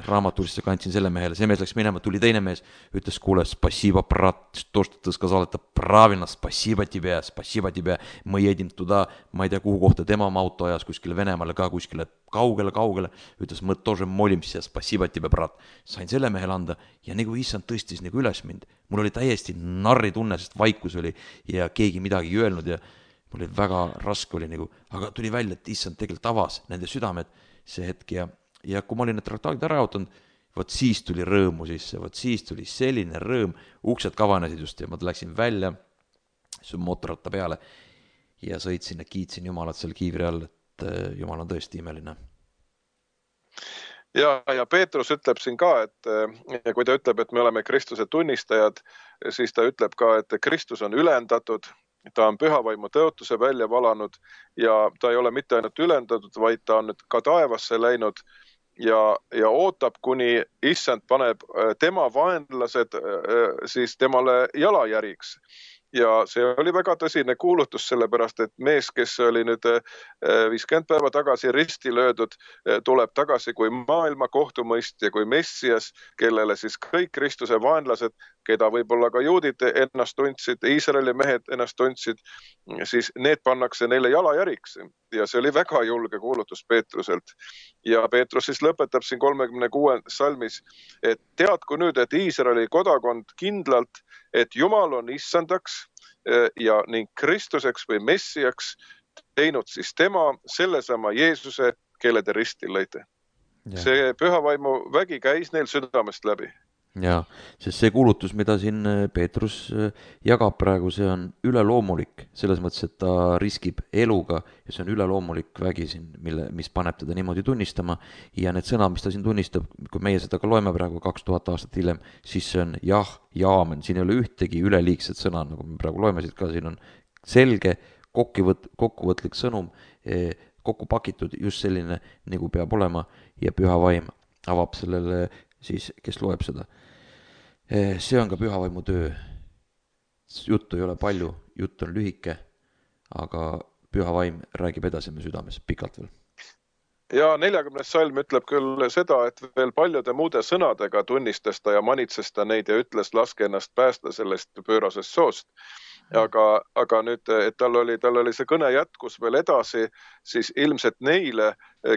raamatulisse, kandsin selle mehele, see mees läks minema, tuli teine mees, ütles, kuule, спасибо, брат, то, что ты сказал, это правильно, спасибо тебе, спасибо тебе, ma jedin tuda, ma ei tea, kuhu kohta tema oma auto ajas, kuskile Venemaale ka, kuskile kaugele, kaugele, ütles, ma тоже молимся, спасибо тебе, брат, sain selle mehele anda ja nagu issand tõstis nagu üles mind, mul oli täiesti narri tunne, sest vaikus oli ja keegi midagi ei öelnud ja mul oli väga raske oli nagu, aga tuli välja, et issand tegelikult avas nende südamed see hetk ja ja kui ma olin need traktaadid ära jaotanud, võt siis tuli rõõmu sisse, võt siis tuli selline rõõm, uksed kavanesid just ja ma läksin välja su mootorratta peale ja sõitsin ja kiitsin Jumalat seal kiivri all, et Jumal on tõesti imeline. Ja, ja Peetrus ütleb siin ka, et kui ta ütleb, et me oleme Kristuse tunnistajad, siis ta ütleb ka, et Kristus on ülendatud, ta on pühavaimu tõotuse välja valanud ja ta ei ole mitte ainult ülendatud, vaid ta on nüüd ka taevasse läinud ja, ja ootab, kuni issand paneb tema vaenlased siis temale jalajäriks. ja see oli väga tõsine kuulutus, sellepärast et mees, kes oli nüüd viiskümmend päeva tagasi risti löödud, tuleb tagasi kui maailma kohtumõistja, kui Messias, kellele siis kõik Kristuse vaenlased, keda võib-olla ka juudid ennast tundsid, Iisraeli mehed ennast tundsid, siis need pannakse neile jalajäriks. Ja see oli väga julge kuulutus Peetruselt. Ja Peetrus siis lõpetab siin kolmekümne kuuendas salmis, et teadku nüüd, et Iisraeli kodakond kindlalt, et Jumal on issandaks ja ning Kristuseks või Messiaks teinud siis tema sellesama Jeesuse, kelle te ristil lõite. Ja. See pühavaimu vägi käis neil südamest läbi. Ja, sest see kuulutus, mida siin Peetrus jagab praegu, see on üleloomulik, selles mõttes, et ta riskib eluga ja see on üleloomulik vägi siin, mille, mis paneb teda niimoodi tunnistama ja need sõnad, mis ta siin tunnistab, kui meie seda ka loeme praegu kaks tuhat aastat hiljem, siis see on jah ja aamen, siin ei ole ühtegi üleliigset sõna, nagu me praegu loeme siit ka, siin on selge kokkuvõt, kokkuvõtlik sõnum, kokku pakitud just selline, nagu peab olema ja püha vaim avab sellele siis, kes loeb seda. See on ka pühavaimu töö. Juttu ei ole palju, jutt on lühike, aga püha vaim räägib edasi me südames pikalt veel. Ja neljakümnes salm ütleb küll seda, et veel paljude muude sõnadega tunnistas ta ja manitses ta neid ja ütles, laske ennast päästa sellest pöörasest soost. Aga, aga nüüd, et tal oli, tal oli see kõne jätkus veel edasi, siis ilmselt neile,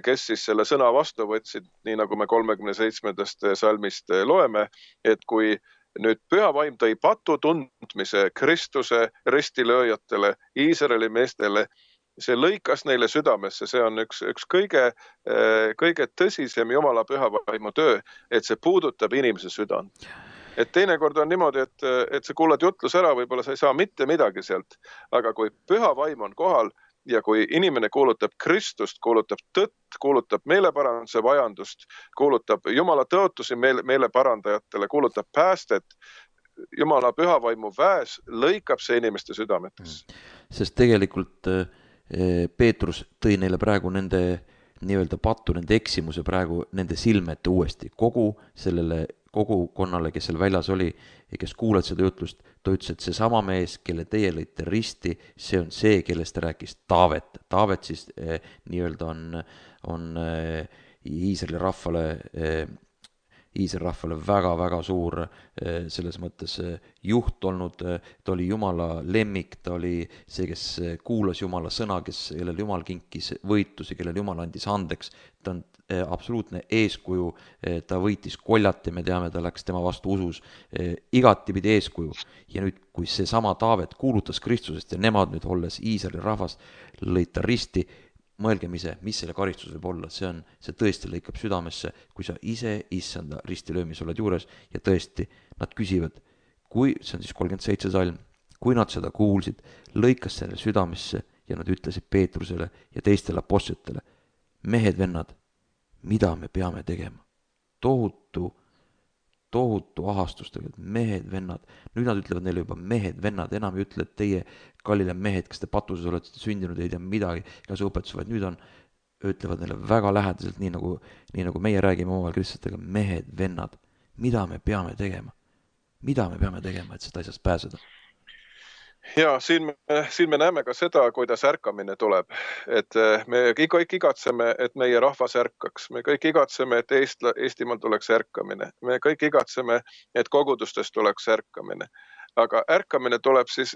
kes siis selle sõna vastu võtsid, nii nagu me kolmekümne seitsmendast salmist loeme, et kui nüüd püha vaim tõi patu tundmise Kristuse ristilööjatele, Iisraeli meestele, see lõikas neile südamesse, see on üks, üks kõige, kõige tõsisem Jumala püha vaimu töö, et see puudutab inimese südant. Et teinekord on niimoodi, et, et sa kuulad jutlus ära, võib-olla sa ei saa mitte midagi sealt, aga kui püha vaim on kohal ja kui inimene kuulutab Kristust, kuulutab tõtt, kuulutab meeleparanduse vajandust, kuulutab Jumala tõotusi meele, meeleparandajatele, kuulutab päästet, Jumala püha vaimu väes lõikab see inimeste südametes. Sest tegelikult Peetrus tõi neile praegu nende nii-öelda pattu, nende eksimuse praegu nende silmete uuesti. Kogu sellele kogukonnale, kes seal väljas oli ja kes kuulad seda jutlust, ta ütles, et see sama mees, kelle teie lõite risti, see on see, kellest ta rääkis Taavet. Taavet siis eh, nii-öelda on, on eh, Iisraeli rahvale eh, Iisraeli rahvale väga-väga suur eh, selles mõttes eh, juht olnud, ta oli Jumala lemmik, ta oli see, kes kuulas Jumala sõna, kes, kellel Jumal kinkis võitusi, kellel Jumal andis andeks, ta on eh, absoluutne eeskuju, eh, ta võitis koljati, me teame, ta läks tema vastu usus, eh, igatipidi eeskuju ja nüüd, kui see sama Taavet kuulutas Kristusest ja nemad nüüd olles Iisraeli rahvas lõid ta risti, mõelgem ise, mis selle karistus võib olla, see on, see tõesti lõikab südamesse, kui sa ise issanda ristilöömis oled juures ja tõesti, nad küsivad, kui, see on siis kolmkümmend seitse salm, kui nad seda kuulsid, lõikas selle südamesse ja nad ütlesid Peetrusele ja teistele apostlitele, mehed, vennad, mida me peame tegema? Tohutu, tohutu ahastustega, mehed, vennad, nüüd nad ütlevad neile juba mehed, vennad, enam ei ütle, et teie kallile mehed, kes te patuses olete sündinud, ei tea midagi, ka see õpetus, vaid nüüd on, ütlevad neile väga lähedaselt, nii nagu, nii nagu meie räägime omavahel kristlastega, mehed, vennad, mida me peame tegema? Mida me peame tegema, et seda asjast pääseda? Ja siin me, siin me näeme ka seda, kuidas ärkamine tuleb, et me kõik igatseme, et meie rahvas ärkaks, me kõik igatseme, et Eestla, Eestimaal tuleks ärkamine, me kõik igatseme, et kogudustes tuleks ärkamine. Aga ärkamine tuleb siis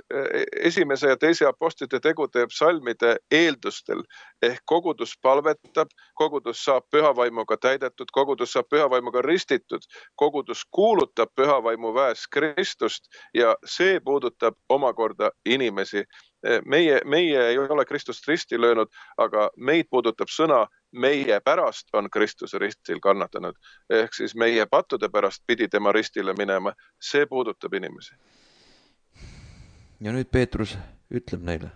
esimese ja teise apostlite tegude psalmide eeldustel, ehk kogudus palvetab, kogudus saab pühavaimuga täidetud, kogudus saab pühavaimuga ristitud, kogudus kuulutab pühavaimu väes Kristust ja see puudutab omakorda inimesi. Meie, meie ei ole Kristust risti löönud, aga meid puudutab sõna, meie pärast on Kristuse ristil kannatanud. Ehk siis meie pattude pärast pidi tema ristile minema, see puudutab inimesi. Ja nüüd Peetrus ütleb neile,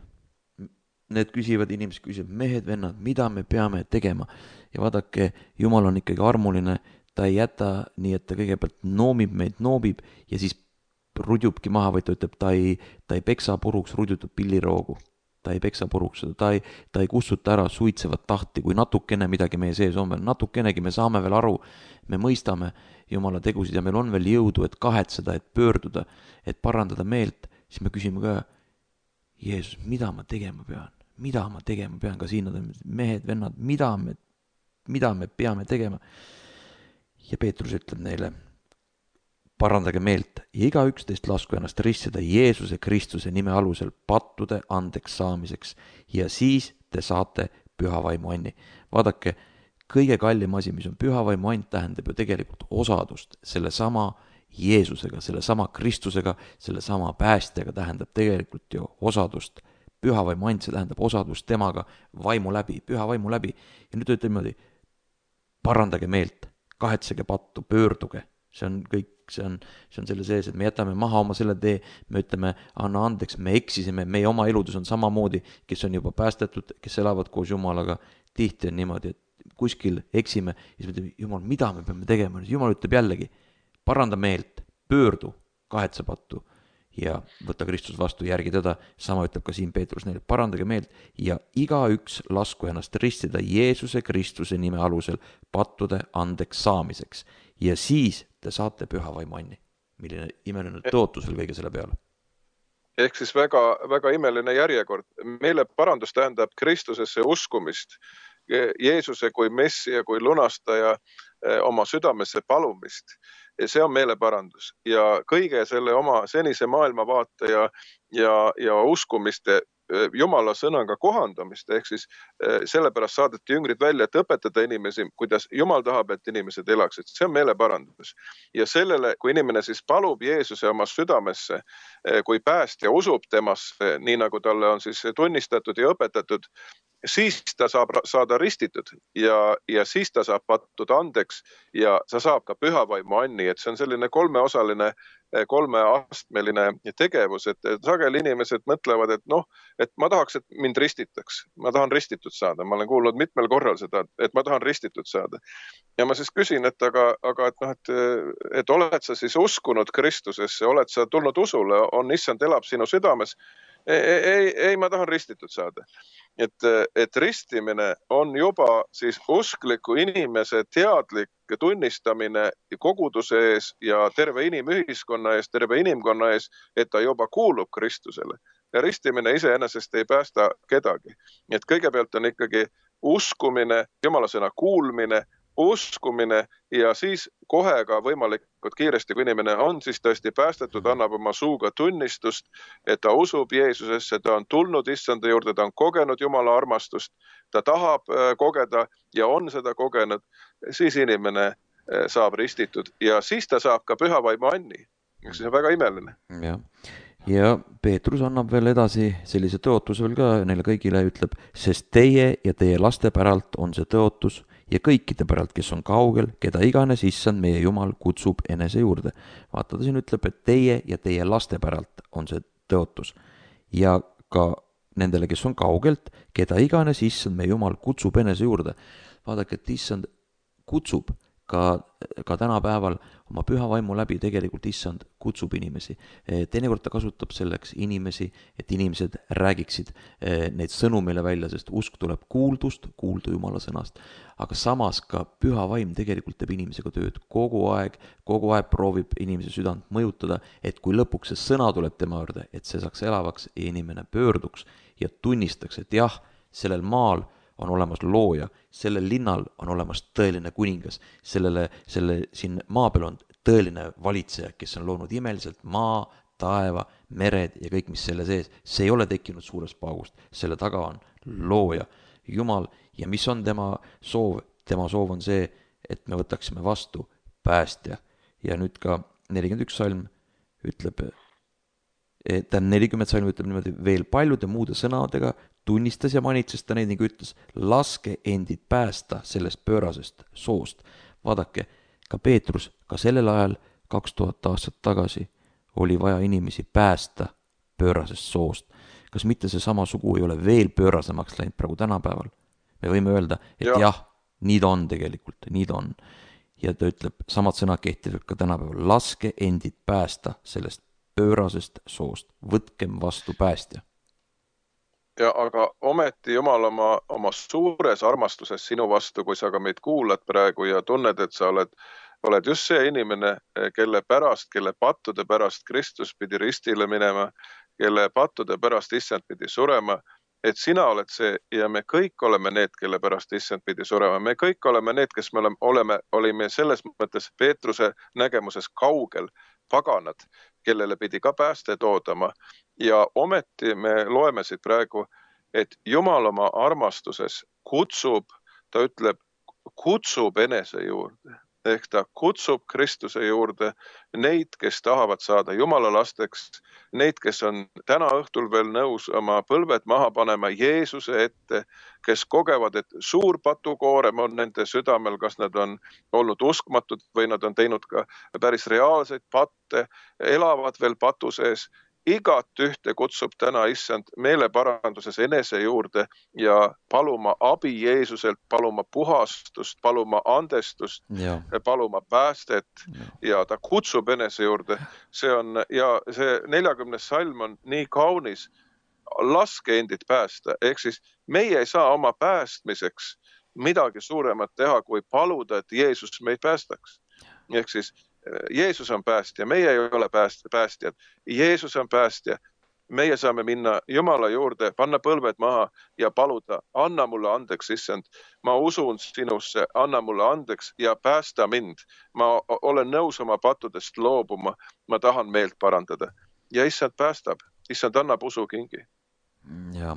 need küsivad, inimesed küsivad, mehed, vennad, mida me peame tegema? Ja vaadake, Jumal on ikkagi armuline, ta ei jäta nii, et ta kõigepealt noomib meid, noomib ja siis rudjubki maha, või ta ütleb, ta ei, ta ei peksa puruks rudjutud pilliroogu. Ta ei peksa puruks seda, ta ei, ta ei kussuta ära suitsevat tahti, kui natukene midagi meie sees on veel, natukenegi me saame veel aru, me mõistame Jumala tegusid ja meil on veel jõudu, et kahetseda, et pöörduda, et parandada meelt, siis me küsime ka, Jeesus, mida ma tegema pean? Mida ma tegema pean? Ka siin on mehed, vennad, mida me, mida me peame tegema? Ja Peetrus ütleb neile, parandage meelt ja iga üks teist lasku ennast ristida Jeesuse Kristuse nime alusel pattude andeks saamiseks ja siis te saate püha vaimu anni. Vaadake, kõige kallim asi, mis on püha vaimu and, tähendab ju tegelikult osadust selle sama Jeesusega, selle sama Kristusega, selle sama päästjaga, tähendab tegelikult ju osadust. Püha vaimu and, see tähendab osadust temaga vaimu läbi, püha vaimu läbi. Ja nüüd ütleme niimoodi, parandage meelt, kahetsege pattu, pöörduge. See on kõik, see on, see on selle sees, et me jätame maha oma selle tee, me ütleme, anna andeks, me eksisime, meie oma eludus on samamoodi, kes on juba päästetud, kes elavad koos Jumalaga, tihti on niimoodi, et kuskil eksime, ja siis me ütleme, Jumal, mida me peame tegema? Jumal ütleb jällegi, paranda meelt, pöördu, kahetse pattu ja võtta Kristus vastu, järgi teda. Sama ütleb ka siin Peetrus neile, parandage meelt ja iga üks lasku ennast ristida Jeesuse Kristuse nime alusel pattude andeks saamiseks. Ja siis te saate püha vaimu anni. Milline imeline tõotus veel kõige selle peale. Ehk siis väga, väga imeline järjekord. Meile parandus tähendab Kristusesse uskumist, Jeesuse kui messia, kui lunastaja oma südamesse palumist. See on meile parandus ja kõige selle oma senise maailmavaate ja, ja, ja uskumiste Jumala sõnaga kohandamist, ehk siis sellepärast saadeti jüngrid välja, et õpetada inimesi, kuidas Jumal tahab, et inimesed elaksid. See on meile parandus. Ja sellele, kui inimene siis palub Jeesuse oma südamesse, kui päästja usub temasse, nii nagu talle on siis tunnistatud ja õpetatud, siis ta saab saada ristitud ja, ja siis ta saab pattuda andeks ja sa saab ka püha vaimu anni, et see on selline kolmeosaline, kolmeastmeline tegevus, et sageli inimesed mõtlevad, et noh, et ma tahaks, et mind ristitaks, ma tahan ristitud saada, ma olen kuulnud mitmel korral seda, et ma tahan ristitud saada. Ja ma siis küsin, et aga, aga et, noh, et, et oled sa siis uskunud Kristusesse, oled sa tulnud usule, on issand elab sinu südames, ei, ei, ei, ma tahan ristitud saada. Et, et ristimine on juba siis uskliku inimese teadlik tunnistamine koguduse ees ja terve inimühiskonna ees, terve inimkonna ees, et ta juba kuulub Kristusele. Ja ristimine iseenesest ei päästa kedagi. Et kõigepealt on ikkagi uskumine, Jumala sõna kuulmine, uskumine ja siis kohe ka võimalikult kiiresti, kui inimene on siis tõesti päästetud, annab oma suuga tunnistust, et ta usub Jeesusesse, ta on tulnud issanda juurde, ta on kogenud Jumala armastust, ta tahab kogeda ja on seda kogenud, siis inimene saab ristitud ja siis ta saab ka püha vaimu anni. See on väga imeline. Ja. ja Peetrus annab veel edasi sellise tõotus veel ka neile kõigile, ütleb, sest teie ja teie laste päralt on see tõotus ja kõikide päralt, kes on kaugel, keda iganes issand meie Jumal kutsub enese juurde. Vaata, ta siin ütleb, et teie ja teie laste päralt on see tõotus ja ka nendele, kes on kaugelt, keda iganes issand meie Jumal kutsub enese juurde. Vaadake, et issand kutsub ka, ka tänapäeval oma püha vaimu läbi tegelikult issand kutsub inimesi. Teinekord ta kasutab selleks inimesi, et inimesed räägiksid neid sõnu meile välja, sest usk tuleb kuuldust, kuulda Jumala sõnast. Aga samas ka püha vaim tegelikult teeb inimesega tööd kogu aeg, kogu aeg proovib inimese südant mõjutada, et kui lõpuks see sõna tuleb tema juurde, et see saaks elavaks ja inimene pöörduks ja tunnistaks, et jah, sellel maal on olemas looja, sellel linnal on olemas tõeline kuningas, sellele, selle siin maa peal on tõeline valitseja, kes on loonud imeliselt maa, taeva, mered ja kõik, mis selle sees. See ei ole tekkinud suurest paugust, selle taga on looja, Jumal ja mis on tema soov? Tema soov on see, et me võtaksime vastu päästja. Ja nüüd ka nelikümmend üks salm ütleb, ta nelikümmend salm ütleb niimoodi, veel paljude muude sõnadega tunnistas ja manitses ta neid ning ütles, laske endid päästa sellest pöörasest soost. Vaadake, ka Peetrus, ka sellel ajal kaks tuhat aastat tagasi oli vaja inimesi päästa pöörasest soost. Kas mitte see sama sugu ei ole veel pöörasemaks läinud praegu tänapäeval? Me võime öelda, et jah, jah nii ta on tegelikult, nii ta on. Ja ta ütleb, samad sõnad kehtivad ka tänapäeval, laske endid päästa sellest pöörasest soost, võtkem vastu päästja. Ja aga ometi Jumal oma, oma suures armastuses sinu vastu, kui sa ka meid kuulad praegu ja tunned, et sa oled oled just see inimene, kelle pärast, kelle pattude pärast Kristus pidi ristile minema, kelle pattude pärast issand pidi surema, et sina oled see ja me kõik oleme need, kelle pärast issand pidi surema. Me kõik oleme need, kes me oleme, oleme, olime selles mõttes Peetruse nägemuses kaugel paganad, kellele pidi ka pääste toodama. Ja ometi me loeme siit praegu, et Jumal oma armastuses kutsub, ta ütleb, kutsub enese juurde. Ehk ta kutsub Kristuse juurde neid, kes tahavad saada Jumala lasteks, neid, kes on täna õhtul veel nõus oma põlved maha panema Jeesuse ette, kes kogevad, et suur patukoorem on nende südamel, kas nad on olnud uskmatud või nad on teinud ka päris reaalseid patte, elavad veel patu sees. Igat ühte kutsub täna issand meeleparanduses enese juurde ja paluma abi Jeesuselt, paluma puhastust, paluma andestust, ja. paluma päästet ja. ja ta kutsub enese juurde. See on, ja see neljakümnes salm on nii kaunis, laske endid päästa. Ehk siis meie ei saa oma päästmiseks midagi suuremat teha, kui paluda, et Jeesus meid päästaks. Ehk siis Jeesus on päästja, meie ei ole päästjad. Jeesus on päästja. Meie saame minna Jumala juurde, panna põlved maha ja paluda, anna mulle andeks, issand. Ma usun sinusse, anna mulle andeks ja päästa mind. Ma olen nõus oma pattudest loobuma, ma tahan meelt parandada. Ja issand päästab, issand annab usukingi. Ja.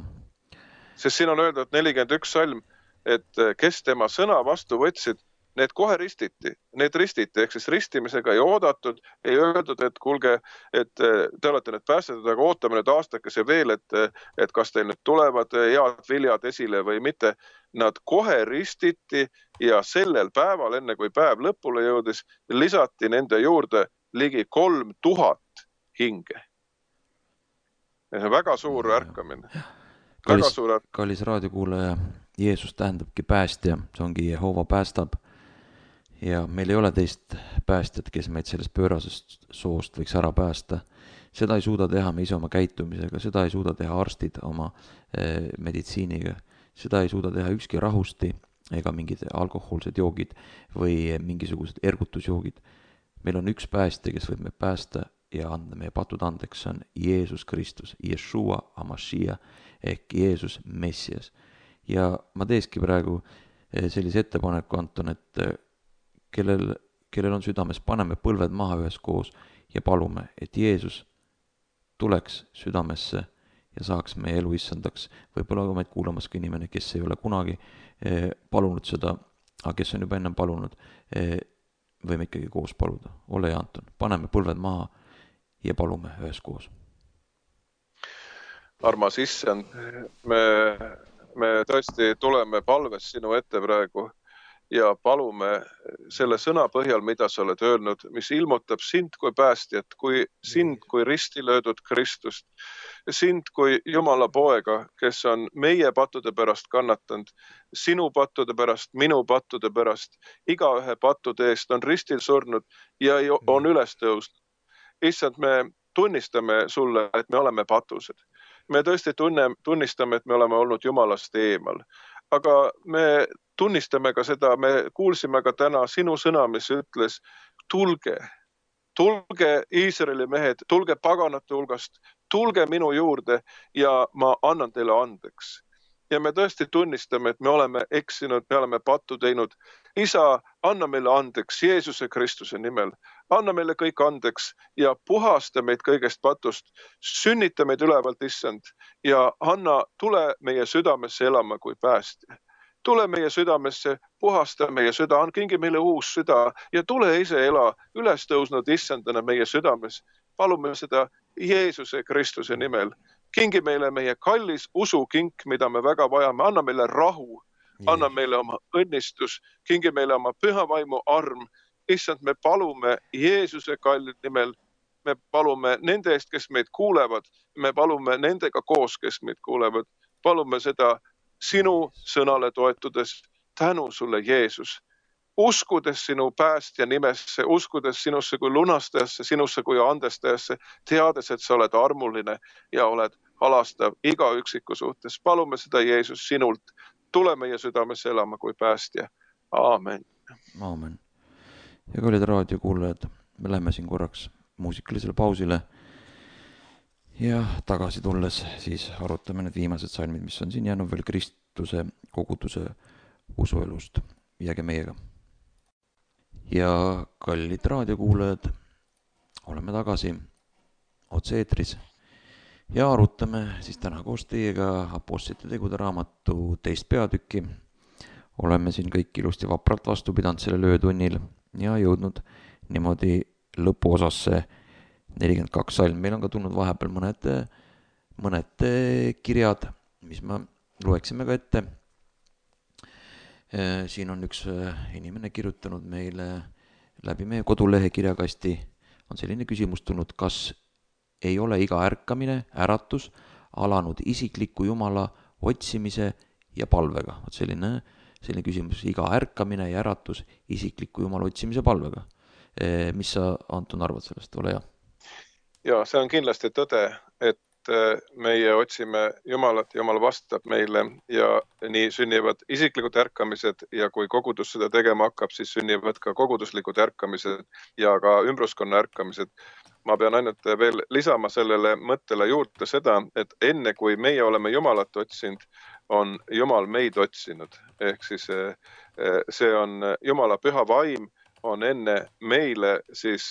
Sest siin on öeldud nelikümmend üks salm, et kes tema sõna vastu võtsid, need kohe ristiti, need ristiti, ehk siis ristimisega ei oodatud, ei öeldud, et kuulge, et te olete nüüd päästetud, aga ootame nüüd aastakese veel, et, et kas teil nüüd tulevad head viljad esile või mitte. Nad kohe ristiti ja sellel päeval, enne kui päev lõpule jõudis, lisati nende juurde ligi kolm tuhat hinge. Väga suur ärkamine. Kallis, kallis raadiokuulaja, Jeesus tähendabki päästja, see ongi Jehova päästab. Ja meil ei ole teist päästjat, kes meid sellest pöörasest soost võiks ära päästa. Seda ei suuda teha me ise oma käitumisega, seda ei suuda teha arstid oma eh, meditsiiniga, seda ei suuda teha ükski rahusti ega mingid alkohoolsed joogid või mingisugused ergutusjoogid. Meil on üks päästja, kes võib me päästa ja anda meie patud andeks, see on Jeesus Kristus, Yeshua Amashia ehk Jeesus Messias. Ja ma teeski praegu sellise ettepaneku, Anton, et Kellel, kellel on südames, paneme põlved maha ühes koos ja palume, et Jeesus tuleks südamesse ja saaks meie elu issandaks. Võib-olla ka meid kuulamas ka inimene, kes ei ole kunagi eh, palunud seda, aga kes on juba ennem palunud, eh, võime ikkagi koos paluda. Ole ja Anton, paneme põlved maha ja palume ühes koos. Armas issand, me, me tõesti tuleme palves sinu ette praegu ja palume selle sõna põhjal, mida sa oled öelnud, mis ilmutab sind kui päästjat, kui sind kui risti löödud Kristust, sind kui Jumala poega, kes on meie pattude pärast kannatanud, sinu pattude pärast, minu pattude pärast, igaühe pattude eest on ristil surnud ja on üles tõusnud. Issand, me tunnistame sulle, et me oleme patused. Me tõesti tunne, tunnistame, et me oleme olnud Jumalast eemal. Aga me tunnistame ka seda, me kuulsime ka täna sinu sõna, mis ütles, tulge, tulge Iisraeli mehed, tulge paganate hulgast, tulge minu juurde ja ma annan teile andeks. Ja me tõesti tunnistame, et me oleme eksinud, me oleme pattu teinud. Isa, anna meile andeks Jeesuse Kristuse nimel. Anna meile kõik andeks ja puhasta meid kõigest patust. Sünnita meid ülevalt, issand, ja anna, tule meie südamesse elama kui päästja. Tule meie südamesse, puhasta meie süda, kingi meile uus süda ja tule ise ela üles tõusnud issandana meie südames. Palume seda Jeesuse Kristuse nimel. Kingi meile meie kallis usukink, mida me väga vajame. Anna meile rahu, anna meile oma õnnistus, kingi meile oma püha vaimu arm. Issand, me palume Jeesuse kallid nimel, me palume nende eest, kes meid kuulevad, me palume nendega koos, kes meid kuulevad. Palume seda sinu sõnale toetudes, tänu sulle Jeesus. Uskudes sinu päästja nimesse, uskudes sinusse kui lunastajasse, sinusse kui andestajasse, teades, et sa oled armuline ja oled halastav iga üksiku suhtes. Palume seda Jeesus sinult. Tule meie südames elama kui päästja. Aamen. Aamen. ja kallid raadiokuulajad, me läheme siin korraks muusikalisele pausile ja tagasi tulles siis arutame need viimased salmid, mis on siin jäänud veel Kristuse koguduse usuelust. Jääge meiega. Ja kallid raadiokuulajad, oleme tagasi otse-eetris ja arutame siis täna koos teiega Apostlite tegude raamatu teist peatükki. Oleme siin kõik ilusti vapralt vastu pidanud sellel öötunnil ja jõudnud niimoodi lõpuosasse nelikümmend kaks salm. Meil on ka tulnud vahepeal mõned, mõned kirjad, mis me loeksime ka ette. Siin on üks inimene kirjutanud meile läbi meie kodulehe kirjakasti. On selline küsimus tulnud, kas ei ole iga ärkamine, äratus alanud isikliku Jumala otsimise ja palvega. Vot selline, selline küsimus, iga ärkamine ja äratus isikliku Jumala otsimise palvega. Mis sa, Anton, arvad sellest? Ole hea. Ja see on kindlasti tõde, et meie otsime Jumalat, Jumal vastab meile ja nii sünnivad isiklikud ärkamised ja kui kogudus seda tegema hakkab, siis sünnivad ka koguduslikud ärkamised ja ka ümbruskonna ärkamised. Ma pean ainult veel lisama sellele mõttele juurde seda, et enne kui meie oleme Jumalat otsinud, on Jumal meid otsinud. Ehk siis see on Jumala püha vaim on enne meile siis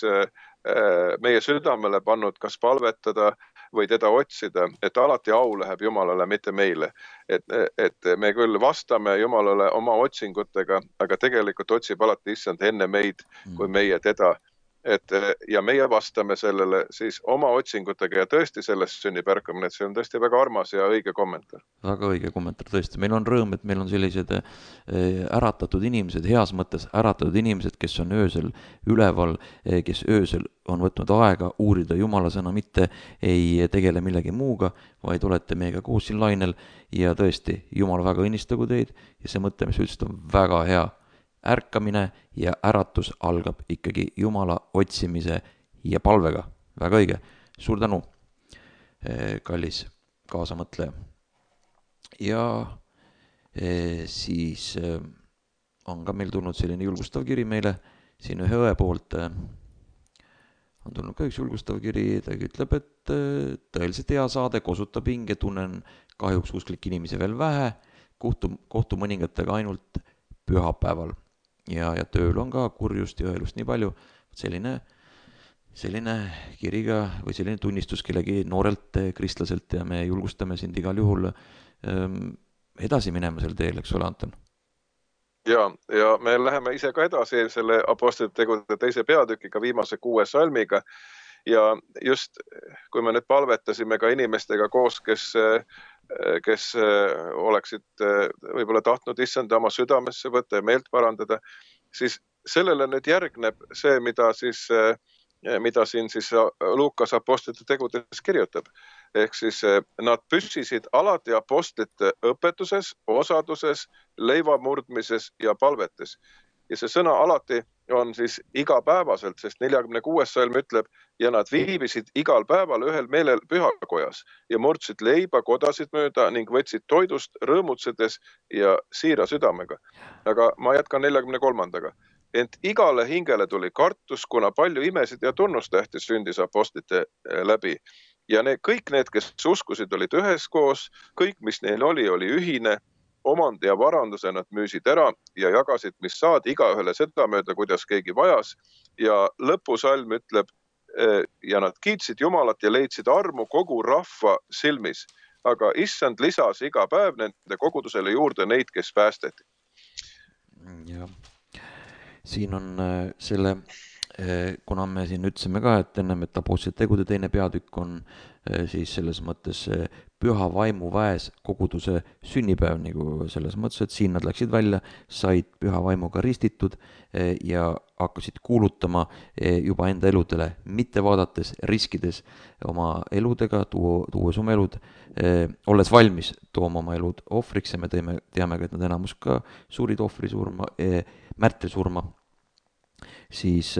meie südamele pannud kas palvetada või teda otsida, et alati au läheb Jumalale, mitte meile. Et, et me küll vastame Jumalale oma otsingutega, aga tegelikult otsib alati issand enne meid, kui meie teda. Et, ja meie vastame sellele siis oma otsingutega ja tõesti sellest sünnib ärkamine, et see on tõesti väga armas ja õige kommentaar. Väga õige kommentaar, tõesti. Meil on rõõm, et meil on sellised äratatud inimesed, heas mõttes äratatud inimesed, kes on öösel üleval, kes öösel on võtnud aega uurida Jumala sõna, mitte ei tegele millegi muuga, vaid olete meiega koos siin lainel ja tõesti, Jumal väga õnnistagu teid ja see mõte, mis üldse on väga hea. Ärkamine ja äratus algab ikkagi Jumala otsimise ja palvega. Väga õige. Suur tänu, kallis kaasamõtleja. Ja siis on ka meil tulnud selline julgustav kiri meile. Siin ühe õe poolt on tulnud ka üks julgustav kiri. Ta ütleb, et tõeliselt hea saade, kosutab hinge, tunnen kahjuks usklik inimesi veel vähe. Kohtu, kohtu mõningatega ainult pühapäeval. Ja, ja tööl on ka kurjust ja õelust nii palju. Selline, selline kiriga või selline tunnistus kellegi noorelt kristlaselt ja me julgustame sind igal juhul ähm, edasi minema sel teel, eks ole, Anton? Ja, ja me läheme ise ka edasi selle Apostlite tegude teise peatükiga, viimase kuue salmiga. Ja just kui me nüüd palvetasime ka inimestega koos, kes kes oleksid võib-olla tahtnud issanda oma südamesse võtta ja meelt parandada, siis sellele nüüd järgneb see, mida, siis, mida siin siis Luukas Apostlite tegudes kirjutab. Ehk siis nad püssisid alati apostlite õpetuses, osaduses, leivamurdmises ja palvetes. Ja see sõna alati on siis igapäevaselt, sest neljakümne kuues salm ütleb, ja nad viibisid igal päeval ühel meelel pühakojas ja murdsid leiba kodasid mööda ning võtsid toidust rõõmutsedes ja siira südamega. Aga ma jätkan neljakümne kolmandaga. Ent igale hingele tuli kartus, kuna palju imesid ja tunnustähti sündis apostlite läbi. Ja need, kõik need, kes uskusid, olid üheskoos, kõik, mis neil oli, oli ühine, omand ja varanduse nad müüsid ära ja jagasid, mis saad igaühele seda mööda, kuidas keegi vajas. Ja lõpusalm ütleb, ja nad kiitsid Jumalat ja leidsid armu kogu rahva silmis. Aga issand lisas iga päev nende kogudusele juurde neid, kes päästeti. Ja siin on selle, kuna me siin ütlesime ka, et ennem, et Apostlite tegude teine peatükk on siis selles mõttes püha vaimu väes koguduse sünnipäev, nagu selles mõttes, et siin nad läksid välja, said püha vaimuga ristitud ja hakkasid kuulutama juba enda eludele, mitte vaadates, riskides oma eludega, tuo, tuues oma elud, olles valmis tooma oma elud ohvriks ja me teeme, teame ka, et nad enamus ka suurid ohvrisurma, märtrisurma, siis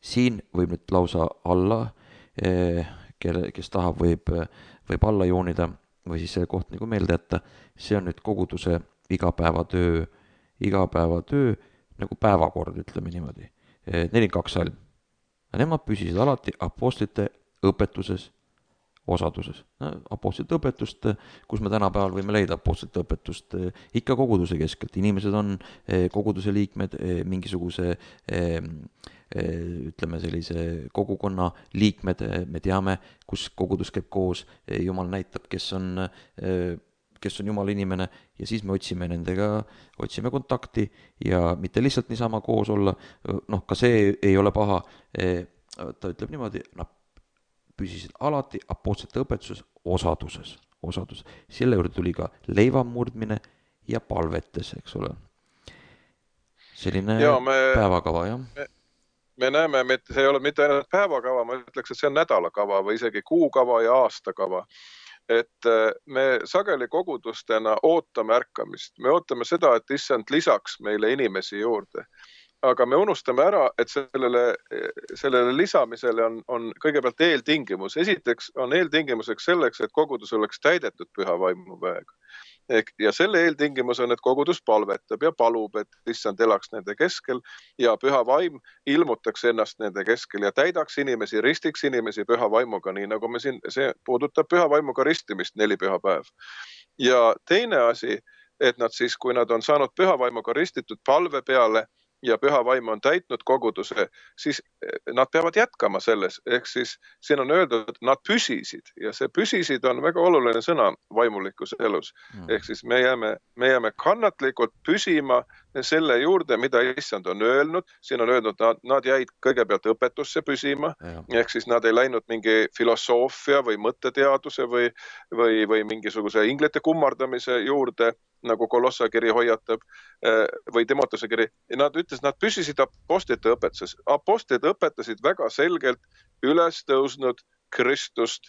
siin võib nüüd lausa alla, kelle, kes tahab, võib, võib alla joonida või siis selle koht nagu meelde jätta. See on nüüd koguduse igapäevatöö, igapäevatöö nagu päevakord, ütleme niimoodi. nelikümmend kaks salm. Ja nemad püsisid alati apostlite õpetuses, osaduses. Apostlite õpetust, kus me tänapäeval võime leida apostlite õpetust, ikka koguduse keskelt. Inimesed on koguduse liikmed, mingisuguse ütleme sellise kogukonna liikmed, me teame, kus kogudus käib koos, Jumal näitab, kes on, kes on Jumala inimene ja siis me otsime nendega, otsime kontakti ja mitte lihtsalt niisama koos olla, noh, ka see ei ole paha, ta ütleb niimoodi, nad püsisid alati apostlite õpetuses osaduses, osaduses. Selle juurde tuli ka leivamurdmine ja palvetes, eks ole. Selline ja me, päevakava, jah. Me, me näeme, et see ei ole mitte ainult päevakava, ma ütleks, et see on nädalakava või isegi kuukava ja aastakava. Et me sageli kogudustena ootame ärkamist. Me ootame seda, et issand lisaks meile inimesi juurde. Aga me unustame ära, et sellele, sellele lisamisele on, on kõigepealt eeltingimus. Esiteks on eeltingimuseks selleks, et kogudus oleks täidetud püha vaimuväega. Ja selle eeltingimus on, et kogudus palvetab ja palub, et issand elaks nende keskel ja püha vaim ilmutaks ennast nende keskel ja täidaks inimesi, ristiks inimesi püha vaimuga, nii nagu me siin, see puudutab püha vaimuga ristimist neli püha päev. Ja teine asi, et nad siis, kui nad on saanud püha vaimuga ristitud palve peale, ja püha vaim on täitnud koguduse, siis nad peavad jätkama selles. Ehk siis siin on öeldud, et nad püsisid ja see püsisid on väga oluline sõna vaimulikus elus. Mm. Ehk siis me jääme, me jääme kannatlikult püsima selle juurde, mida issand on öelnud. Siin on öeldud, nad, nad jäid kõigepealt õpetusse püsima. Ja. Ehk siis nad ei läinud mingi filosoofia või mõtteteaduse või, või, või mingisuguse inglite kummardamise juurde, nagu Kolossa kiri hoiatab, või Timotese kiri. Nad ütles, nad püsisid apostlite õpetuses. Apostlid õpetasid väga selgelt üles tõusnud Kristust,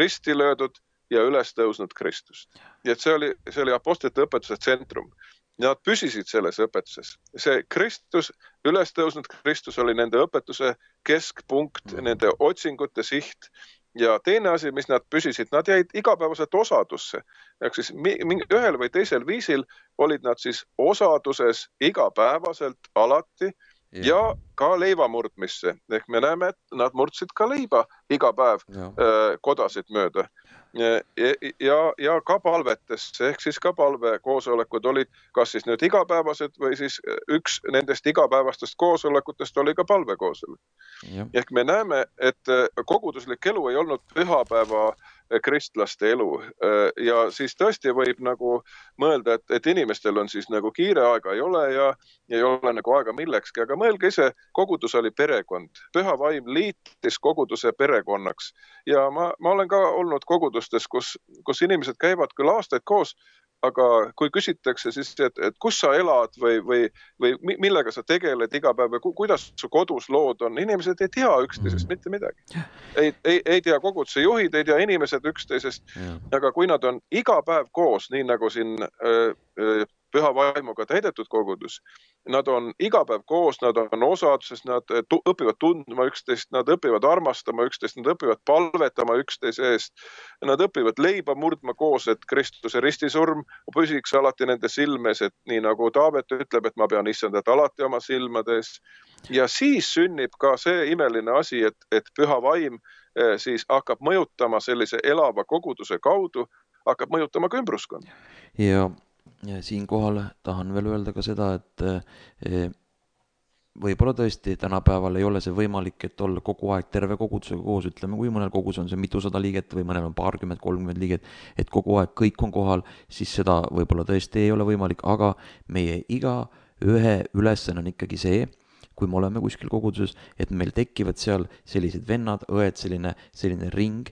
risti löödud ja üles tõusnud Kristust. Ja see oli, see oli apostlite õpetuse tsentrum. Nad püsisid selles õpetuses. See Kristus, üles tõusnud Kristus oli nende õpetuse keskpunkt, nende otsingute siht. Ja teine asi, mis nad püsisid, nad jäid igapäevaselt osadusse. Ehk siis ühel või teisel viisil olid nad siis osaduses igapäevaselt alati ja, ja ka leivamurdmisse. Ehk me näeme, et nad murdsid ka leiba iga päev ja. Kodasid mööda. Ja, ja, ja ka palvetesse, ehk siis ka palvekoosolekud olid kas siis nüüd igapäevased või siis üks nendest igapäevastest koosolekutest oli ka palvekoosolek. Ja. Ehk me näeme, et koguduslik elu ei olnud pühapäeva kristlaste elu ja siis tõesti võib nagu mõelda, et, et inimestel on siis nagu kiire aega ei ole ja ei ole nagu aega millekski, aga mõelge ise, kogudus oli perekond. Püha vaim liitis koguduse perekonnaks ja ma, ma olen ka olnud kogudustes, kus, kus inimesed käivad küll aastaid koos, aga kui küsitakse siis, et, et kus sa elad või, või, või millega sa tegeled iga päev või kuidas su kodus lood on, inimesed ei tea üksteisest mitte midagi. Ei, ei, ei tea koguduse juhid, ei tea inimesed üksteisest, ja. Aga kui nad on iga päev koos, nii nagu siin öö, öö, püha vaimuga täidetud kogudus, nad on iga päev koos, nad on osaduses, nad õpivad tundma üksteist, nad õpivad armastama üksteist, nad õpivad palvetama üksteise eest, nad õpivad leiba murdma koos, et Kristuse ristisurm püsiks alati nende silmes, et nii nagu Taavet ütleb, et ma pean issandat alati oma silmades. Ja siis sünnib ka see imeline asi, et, et püha vaim siis hakkab mõjutama sellise elava koguduse kaudu, hakkab mõjutama ka ümbruskonna. Ja Ja siinkohal tahan veel öelda ka seda, et võib-olla tõesti tänapäeval ei ole see võimalik, et olla kogu aeg terve kogudusega koos, ütleme, kui mõnel kogus on see mitusada liiget või mõnel on paarkümmend, kolmkümmend liiget, et kogu aeg kõik on kohal, siis seda võib-olla tõesti ei ole võimalik, aga meie iga ühe ülesanne on ikkagi see, kui me oleme kuskil koguduses, et meil tekivad seal sellised vennad, õed, selline, selline ring,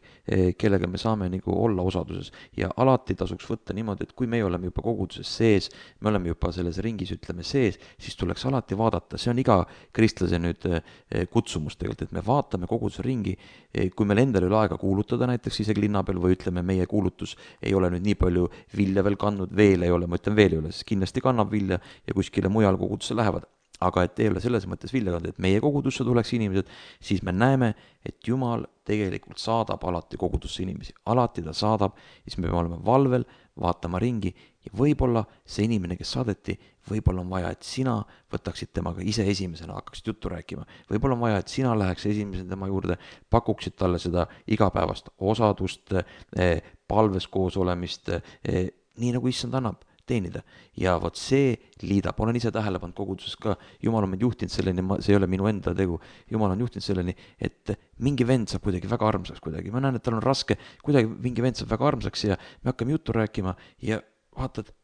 kellega me saame nagu olla osaduses. Ja alati tasuks võtta niimoodi, et kui me oleme juba koguduses sees, me oleme juba selles ringis, ütleme, sees, siis tuleks alati vaadata. See on iga kristlase nüüd kutsumus tegelikult, et me vaatame koguduse ringi, kui meil endal ei ole aega kuulutada näiteks isegi linna peal või ütleme, meie kuulutus ei ole nüüd nii palju vilja veel kandnud, veel ei ole, ma ütlen veel ei ole, sest kindlasti kannab vilja ja kuskile mujal kogudusse lähevad. Aga et ei ole selles mõttes vilja kanda, et meie kogudusse tuleks inimesed, siis me näeme, et Jumal tegelikult saadab alati kogudusse inimesi. Alati ta saadab, siis me peame olema valvel, vaatama ringi ja võib-olla see inimene, kes saadeti, võib-olla on vaja, et sina võtaksid temaga ise esimesena, hakkaksid juttu rääkima. Võib-olla on vaja, et sina läheks esimesena tema juurde, pakuksid talle seda igapäevast osadust, palves koos olemist, nii nagu issand annab teenida. Ja vot see liidab, olen ise tähele pannud koguduses ka, Jumal on meid juhtinud selleni, see ei ole minu enda tegu, Jumal on juhtinud selleni, et mingi vend saab kuidagi väga armsaks kuidagi, ma näen, et tal on raske, kuidagi mingi vend saab väga armsaks ja me hakkame juttu rääkima ja vaatad,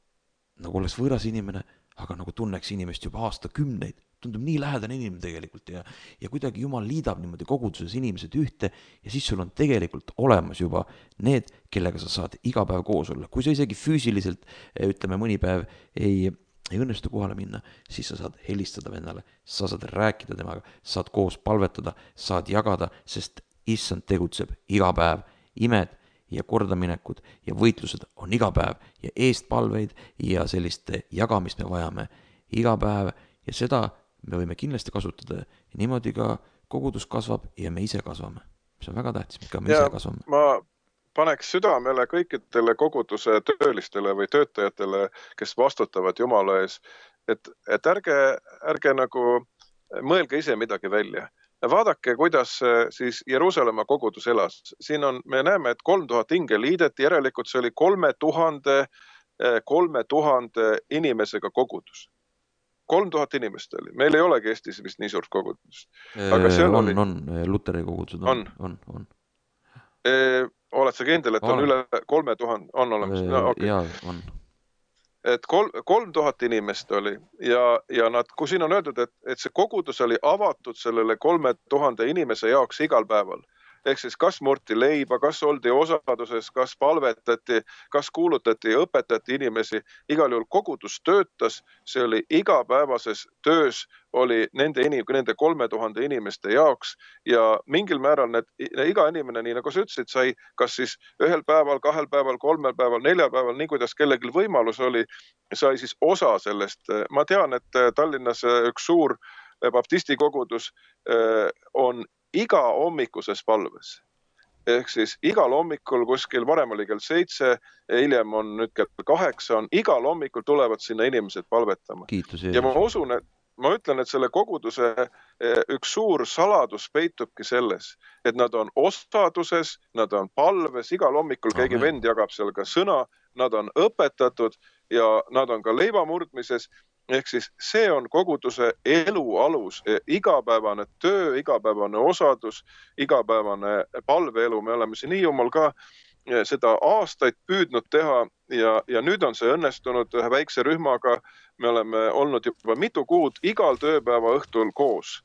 nagu oleks võõras inimene, aga nagu tunneks inimest juba aastakümneid, tundub nii lähedane inimene tegelikult ja, ja kuidagi Jumal liidab niimoodi koguduses inimesed ühte ja siis sul on tegelikult olemas juba need, kellega sa saad iga päev koos olla. Kui sa isegi füüsiliselt, ütleme mõni päev ei, ei õnnestu kohale minna, siis sa saad helistada vennale, sa saad rääkida temaga, saad koos palvetada, saad jagada, sest issand tegutseb iga päev, imed ja kordaminekud ja võitlused on iga päev ja eestpalveid ja sellist jagamist me vajame iga päev ja seda me võime kindlasti kasutada ja niimoodi ka kogudus kasvab ja me ise kasvame. See on väga tähtis, ka me ja, ise kasvame. Ma paneks südamele kõikidele koguduse töölistele või töötajatele, kes vastutavad Jumala ees, et, et ärge, ärge nagu mõelge ise midagi välja. Vaadake, kuidas siis Jeruusalemma kogudus elas. Siin on, me näeme, et kolm tuhat hinge liideti, järelikult see oli kolme tuhande, kolme tuhande inimesega kogudus. kolm tuhat inimest oli. Meil ei olegi Eestis vist nii suurt kogudust. Aga on, oli... on, Luteri kogudused on. On, on, on. E, oled sa kindel, et on, on üle kolme tuhande, on olemas? E, no, okay. Jaa, on. Et kolm, kolm tuhat inimest oli ja, ja nad, kui siin on öeldud, et, et see kogudus oli avatud sellele kolme tuhande inimese jaoks igal päeval. Ehk siis kas murti leiba, kas oldi osaduses, kas palvetati, kas kuulutati ja õpetati inimesi. Igal juhul kogudus töötas, see oli igapäevases töös, oli nende, inim, nende kolme tuhande inimeste jaoks ja mingil määral need, iga inimene, nii nagu sa ütlesid, sai kas siis ühel päeval, kahel päeval, kolmel päeval, neljal päeval, nii kuidas kellelgi võimalus oli, sai siis osa sellest. Ma tean, et Tallinnas üks suur baptisti kogudus on iga hommikuses palves. Ehk siis igal hommikul kuskil varem oli kell seitse, hiljem on nüüd kell kaheksa, on igal hommikul tulevad sinna inimesed palvetama. Kiitus, ja ma usun, et ma ütlen, et selle koguduse üks suur saladus peitubki selles, et nad on osaduses, nad on palves, igal hommikul Amen. Keegi vend jagab seal ka sõna, nad on õpetatud ja nad on ka leivamurdmises. Ehk siis see on koguduse elu alus, igapäevane töö, igapäevane osadus, igapäevane palveelu. Me oleme siin nii jumal ka seda aastaid püüdnud teha ja, ja nüüd on see õnnestunud ühe väikse rühmaga. Me oleme olnud juba mitu kuud igal tööpäeva õhtul koos.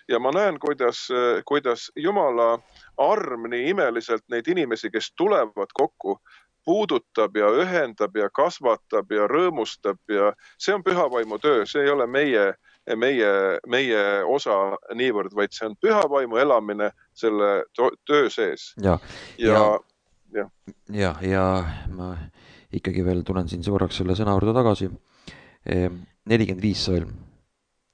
Ja ma näen, kuidas, kuidas Jumala arm nii imeliselt neid inimesi, kes tulevad kokku, puudutab ja ühendab ja kasvatab ja rõõmustab ja see on pühavaimu töö, see ei ole meie, meie, meie osa niivõrd, vaid see on pühavaimu elamine selle töö sees. Ja, ja, ja, ja, ja ma ikkagi veel tulen siin korraks selle sõna juurde tagasi. nelikümmend viis salm,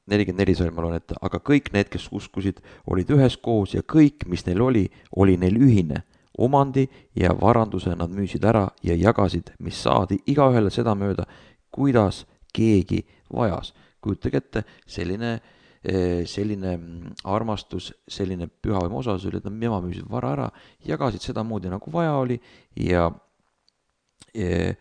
nelikümmend neli salm ma loen ette, aga kõik need, kes uskusid, olid ühes koos ja kõik, mis neil oli, oli neil ühine. Omandi ja varanduse nad müüsid ära ja jagasid, mis saadi igaühele seda mööda, kuidas keegi vajas. Kujutage ette, selline, selline armastus, selline pühavaimu osasus oli, et nad nema müüsid vara ära, jagasid seda moodi nagu vaja oli ja, ja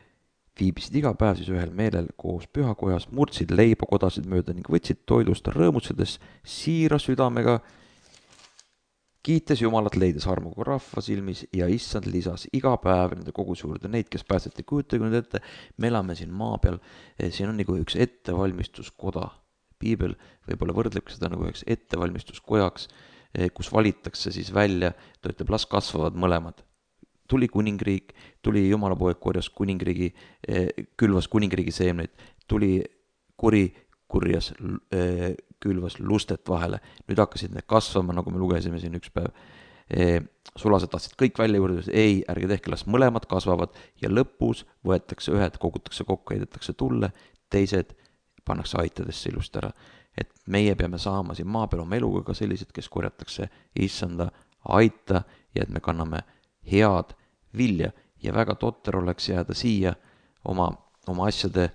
viibisid iga päev siis ühel meelel koos pühakojas, murdsid leiba kodasid mööda ning võtsid toidust rõõmutsedes siira südamega, kiites Jumalat leides armuga rahva silmis ja issand lisas iga päev nende koguse juurde neid, kes päästeti. Kujutage nüüd ette, me elame siin maa peal, siin on nagu üks ettevalmistuskoda. Piibel võib-olla võrdleb seda nagu üks ettevalmistuskojaks, kus valitakse siis välja, ta ütleb, las kasvavad mõlemad. Tuli kuningriik, tuli Jumala poeg korjas kuningriigi, külvas kuningriigi seemneid, tuli kuri kurjas külvas lustet vahele. Nüüd hakkasid need kasvama, nagu me lugesime siin üks päev. Sulased tahtsid kõik välja juurde, ei, ärge tehke, las mõlemad kasvavad ja lõpus võetakse ühed, kogutakse kokku, heidetakse tulle, teised pannakse aitadesse ilust ära. Et meie peame saama siin maa peal oma eluga ka sellised, kes korjatakse issanda aita ja et me kanname head vilja ja väga totter oleks jääda siia oma, oma asjade,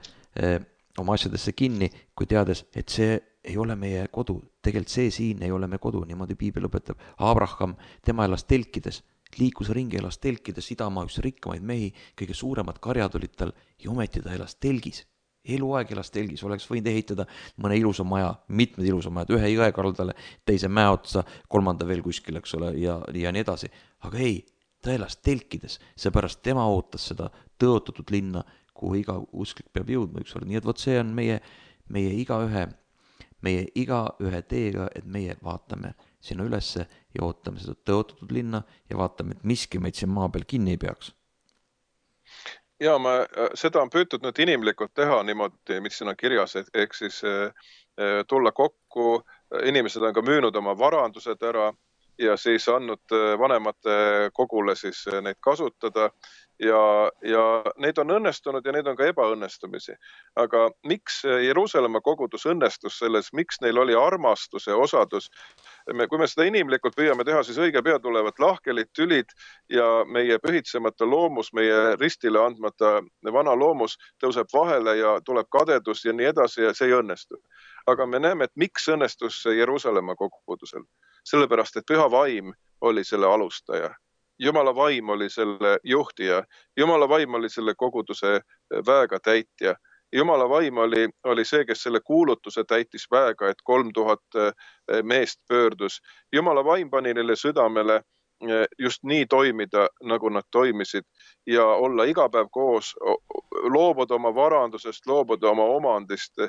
oma asjadesse kinni, kui teades, et see ei ole meie kodu. Tegelikult see siin ei ole meie kodu, niimoodi piibel õpetab. Abraham, tema elas telkides, liikus ringi, elas telkides, idamaa üks rikkamaid mehi, kõige suuremad karjad olid tal ja ometi ta elas telgis. Eluaeg elas telgis, oleks võinud ehitada mõne ilusa maja, mitmed ilusa majad, ühe jõe kaldale, teise mäe otsa, kolmanda veel kuskil, eks ole, ja, ja nii edasi. Aga ei, ta elas telkides, seepärast tema ootas seda tõotatud linna, kuhu iga usklik peab jõudma ükskord. Nii et vot see on meie, meie iga ühe, meie iga ühe teega, et meie vaatame sinna ülesse ja ootame seda tõotatud linna ja vaatame, et miski meid siin maa peal kinni ei peaks. Ja ma, seda on püütud nüüd inimlikult teha niimoodi, mis siin on kirjas, et ehk siis tulla kokku, inimesed on ka müünud oma varandused ära ja siis andnud vanemate kogule siis neid kasutada ja, ja neid on õnnestunud ja neid on ka ebaõnnestumisi. Aga miks Jeruusalemma kogudus õnnestus selles, miks neil oli armastuse osadus? Me, kui me seda inimlikult püüame teha, siis õige pea tulevad lahkelid, tülid ja meie pühitsemata loomus, meie ristile andmata vana loomus tõuseb vahele ja tuleb kadedus ja nii edasi ja see ei õnnestu. Aga me näeme, et miks õnnestus Jeruusalemma kogudusel? Sellepärast, et püha vaim oli selle alustaja. Jumala vaim oli selle juhtija. Jumala vaim oli selle koguduse väega täitja. Jumala vaim oli, oli see, kes selle kuulutuse täitis väega, et kolm tuhat meest pöördus. Jumala vaim pani neile südamele just nii toimida, nagu nad toimisid ja olla iga päev koos, loobuda oma varandusest, loobuda oma omandist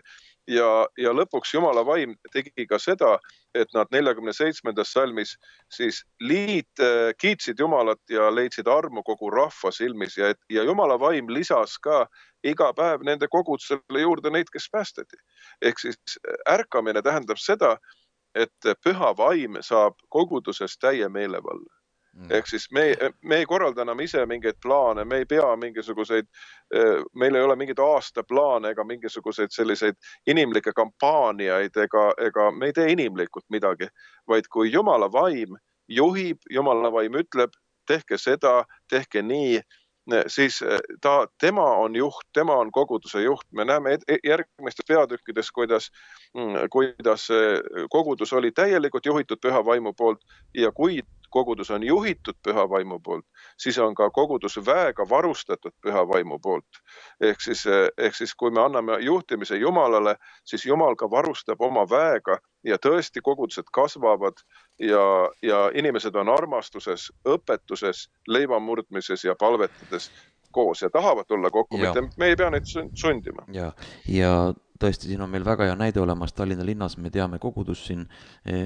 ja, ja lõpuks Jumala vaim tegi ka seda, et nad neljakümne seitsmendas salmis siis liit kiitsid Jumalat ja leidsid armu kogu rahva silmis ja, ja Jumala vaim lisas ka iga päev nende kogudusele juurde neid, kes päästeti. Ehk siis ärkamine tähendab seda, et püha vaim saab koguduses täie meelevalla. Ehk siis me, me ei korralda enam ise mingeid plaane, me ei pea mingisuguseid, meil ei ole mingeid aastaplaane ega mingisuguseid selliseid inimlikke kampaaniaid ega, ega me ei tee inimlikult midagi, vaid kui Jumala vaim juhib, Jumala vaim ütleb, tehke seda, tehke nii, siis ta, tema on juht, tema on koguduse juht. Me näeme järgmistes peatükkides, kuidas, kuidas kogudus oli täielikult juhitud püha vaimu poolt ja kui kogudus on juhitud püha vaimu poolt, siis on ka kogudus väega varustatud püha vaimu poolt. Ehk siis, ehk siis kui me anname juhtimise Jumalale, siis Jumal ka varustab oma väega ja tõesti kogudused kasvavad ja, ja inimesed on armastuses, õpetuses, leivamurdmises ja palvetades koos ja tahavad tulla kokku, mitte me ei pea neid sundima. Ja, ja tõesti, siin on meil väga hea näide olemas Tallinna linnas, me teame kogudus siin,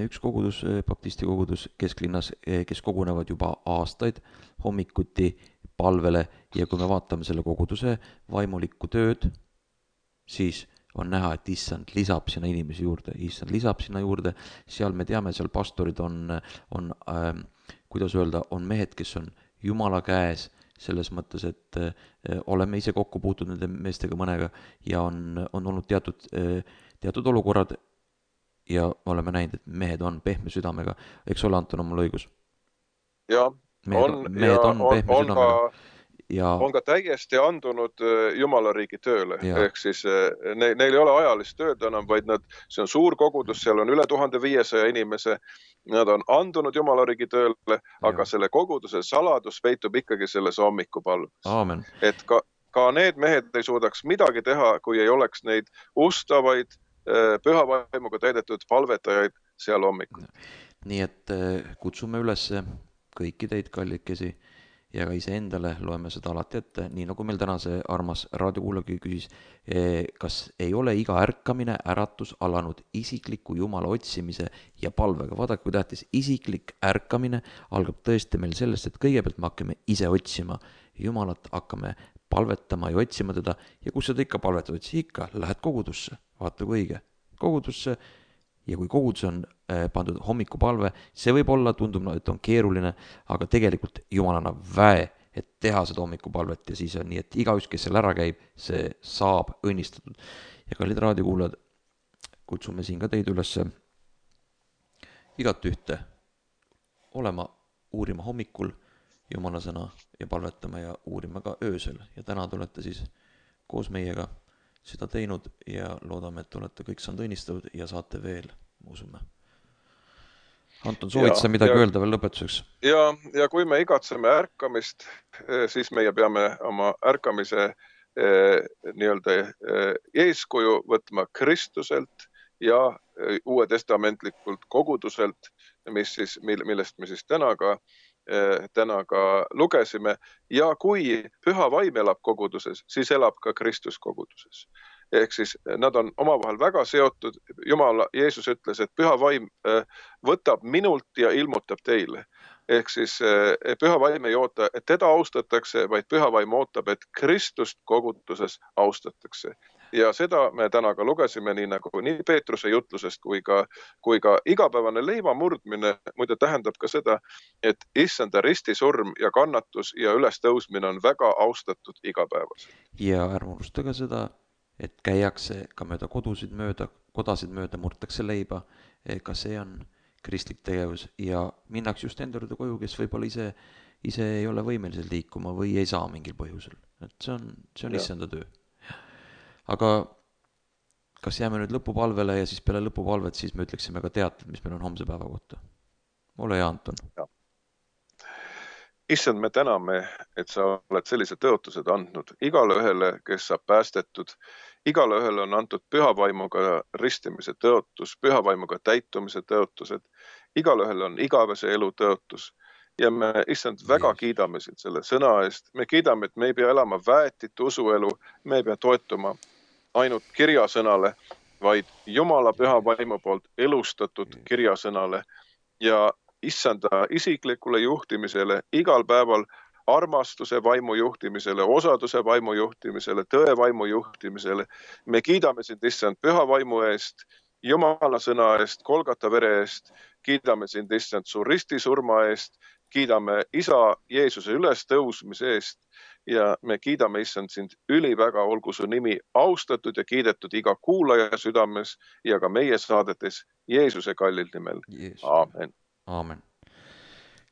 üks kogudus, baptisti kogudus kesklinnas, kes kogunevad juba aastaid hommikuti palvele ja kui me vaatame selle koguduse vaimulikku tööd, siis on näha, et issand lisab sinna inimesi juurde, issand lisab sinna juurde, seal me teame, seal pastorid on, on äh, kuidas öelda, on mehed, kes on Jumala käes, selles mõttes, et äh, oleme ise kokku puutud nende meestega mõnega ja on, on olnud teatud, äh, teatud olukorrad ja oleme näinud, et mehed on pehme südamega. Eks ole, Anton, on mul õigus? Ja, mehed on, mehed ja on pehme on, südamega. on ka... Ja... on ka täiesti andunud Jumala riigi tööle. Ja. Ehk siis ne, neil ei ole ajalist tööd enam, vaid nad, see on suur kogudus, seal on üle tuhande viiesaja inimese, nad on andunud Jumala riigi tööle, aga ja. Selle koguduse saladus peitub ikkagi selles hommikupalves. Aamen. Et ka, ka need mehed ei suudaks midagi teha, kui ei oleks neid ustavaid, püha vaimuga täidetud palvetajaid seal hommikul. Nii et kutsume üles kõiki teid kallikesi ja ka ise endale loeme seda alati ette, nii nagu meil täna see armas raadiokuulaja küsis, kas ei ole iga ärkamine, äratus alanud isikliku Jumala otsimise ja palvega. Vaadake, kui tähtis, isiklik ärkamine algab tõesti meil sellest, et kõigepealt me hakkame ise otsima Jumalat, hakkame palvetama ja otsima teda ja kus seda ikka palvetad, siis ikka lähed kogudusse, vaata kui õige, kogudusse. Ja kui kogudus on pandud hommikupalve, see võib olla, tundub, et on keeruline, aga tegelikult Jumal annab väe, et teha seda hommikupalvet ja siis on nii, et igaüks, kes seal ära käib, see saab õnnistatud. Ja kallid raadiokuulajad, kutsume siin ka teid üles igat ühte olema, uurima hommikul Jumala sõna ja palvetama ja uurima ka öösel. Ja täna te olete siis koos meiega seda teinud ja loodame, et olete kõik saanud õnnistatud ja saate veel, ma usume. Anton, soovid sa midagi ja, öelda veel lõpetuseks? Ja, ja kui me igatseme ärkamist, siis meie peame oma ärkamise eh, nii-öelda eh, eeskuju võtma Kristuselt ja uue testamentlikult koguduselt, mis siis, millest me siis täna ka, eh, täna ka lugesime. Ja kui püha vaim elab koguduses, siis elab ka Kristus koguduses. Ehk siis nad on omavahel väga seotud. Jumal, Jeesus ütles, et püha vaim võtab minult ja ilmutab teile. Ehk siis püha vaim ei oota, et teda austatakse, vaid püha vaim ootab, et Kristust koguduses austatakse. Ja seda me täna ka lugesime, nii nagu nii Peetruse jutlusest kui ka, kui ka igapäevane leiva murdmine muide tähendab ka seda, et issanda ristisurm ja kannatus ja ülestõusmine on väga austatud igapäevas. Ja ärme unusta ka seda, et käiakse ka mööda kodusid mööda, kodasid mööda, murtakse leiba, ka see on kristlik tegevus ja minnakse just enda juurde koju, kes võib-olla ise, ise ei ole võimelised liikuma või ei saa mingil põhjusel. Et see on, see on issanda töö. Aga kas jääme nüüd lõpupalvele ja siis peale lõpupalvet siis me ütleksime ka teated, mis meil on homse päeva kohta. Ole hea, Anton. Ja. Issand, me täname, et sa oled sellise tõotused andnud igale ühele, kes saab päästetud. Igale ühele on antud pühavaimuga ristimise tõotus, pühavaimuga täitumise tõotused. Igale ühele on igavese elu tõotus. Ja me, issand, väga kiidame sind selle sõna eest. Me kiidame, et me ei pea elama väetit usuelu, me ei pea toetuma ainult kirjasõnale, vaid Jumala püha vaimu poolt elustatud kirjasõnale ja issanda isiklikule juhtimisele, igal päeval armastuse vaimu juhtimisele, osaduse vaimu juhtimisele, tõe vaimu juhtimisele. Me kiidame sind, issand, püha vaimu eest, Jumala sõna eest, Kolgata vere eest, kiidame sind, issand, su ristisurma eest, kiidame isa Jeesuse ülestõusmise eest ja me kiidame, issand, sind üliväga, olgu su nimi austatud ja kiidetud iga kuulaja südames ja ka meie saadetes Jeesuse kallil nimel. Aamen. Aamen.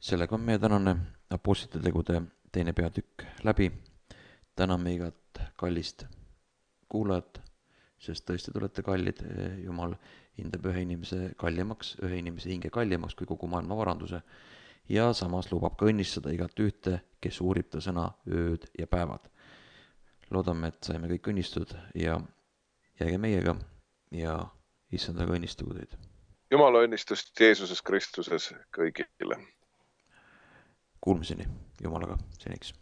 Sellega on meie tänane apostlite tegude teine peatükk läbi. Täname igat kallist kuulajat, sest tõesti te olete kallid. Jumal hindab ühe inimese kallimaks, ühe inimese hinge kallimaks kui kogu maailma varanduse ja samas lubab ka õnnistada igat ühte, kes uurib ta sõna ööd ja päevad. Loodame, et saime kõik õnnistud ja jääge meiega ja issandaga õnnistugu teid. Jumala õnnistust Jeesuses Kristuses kõigile. Kuulmiseni Jumalaga seniks.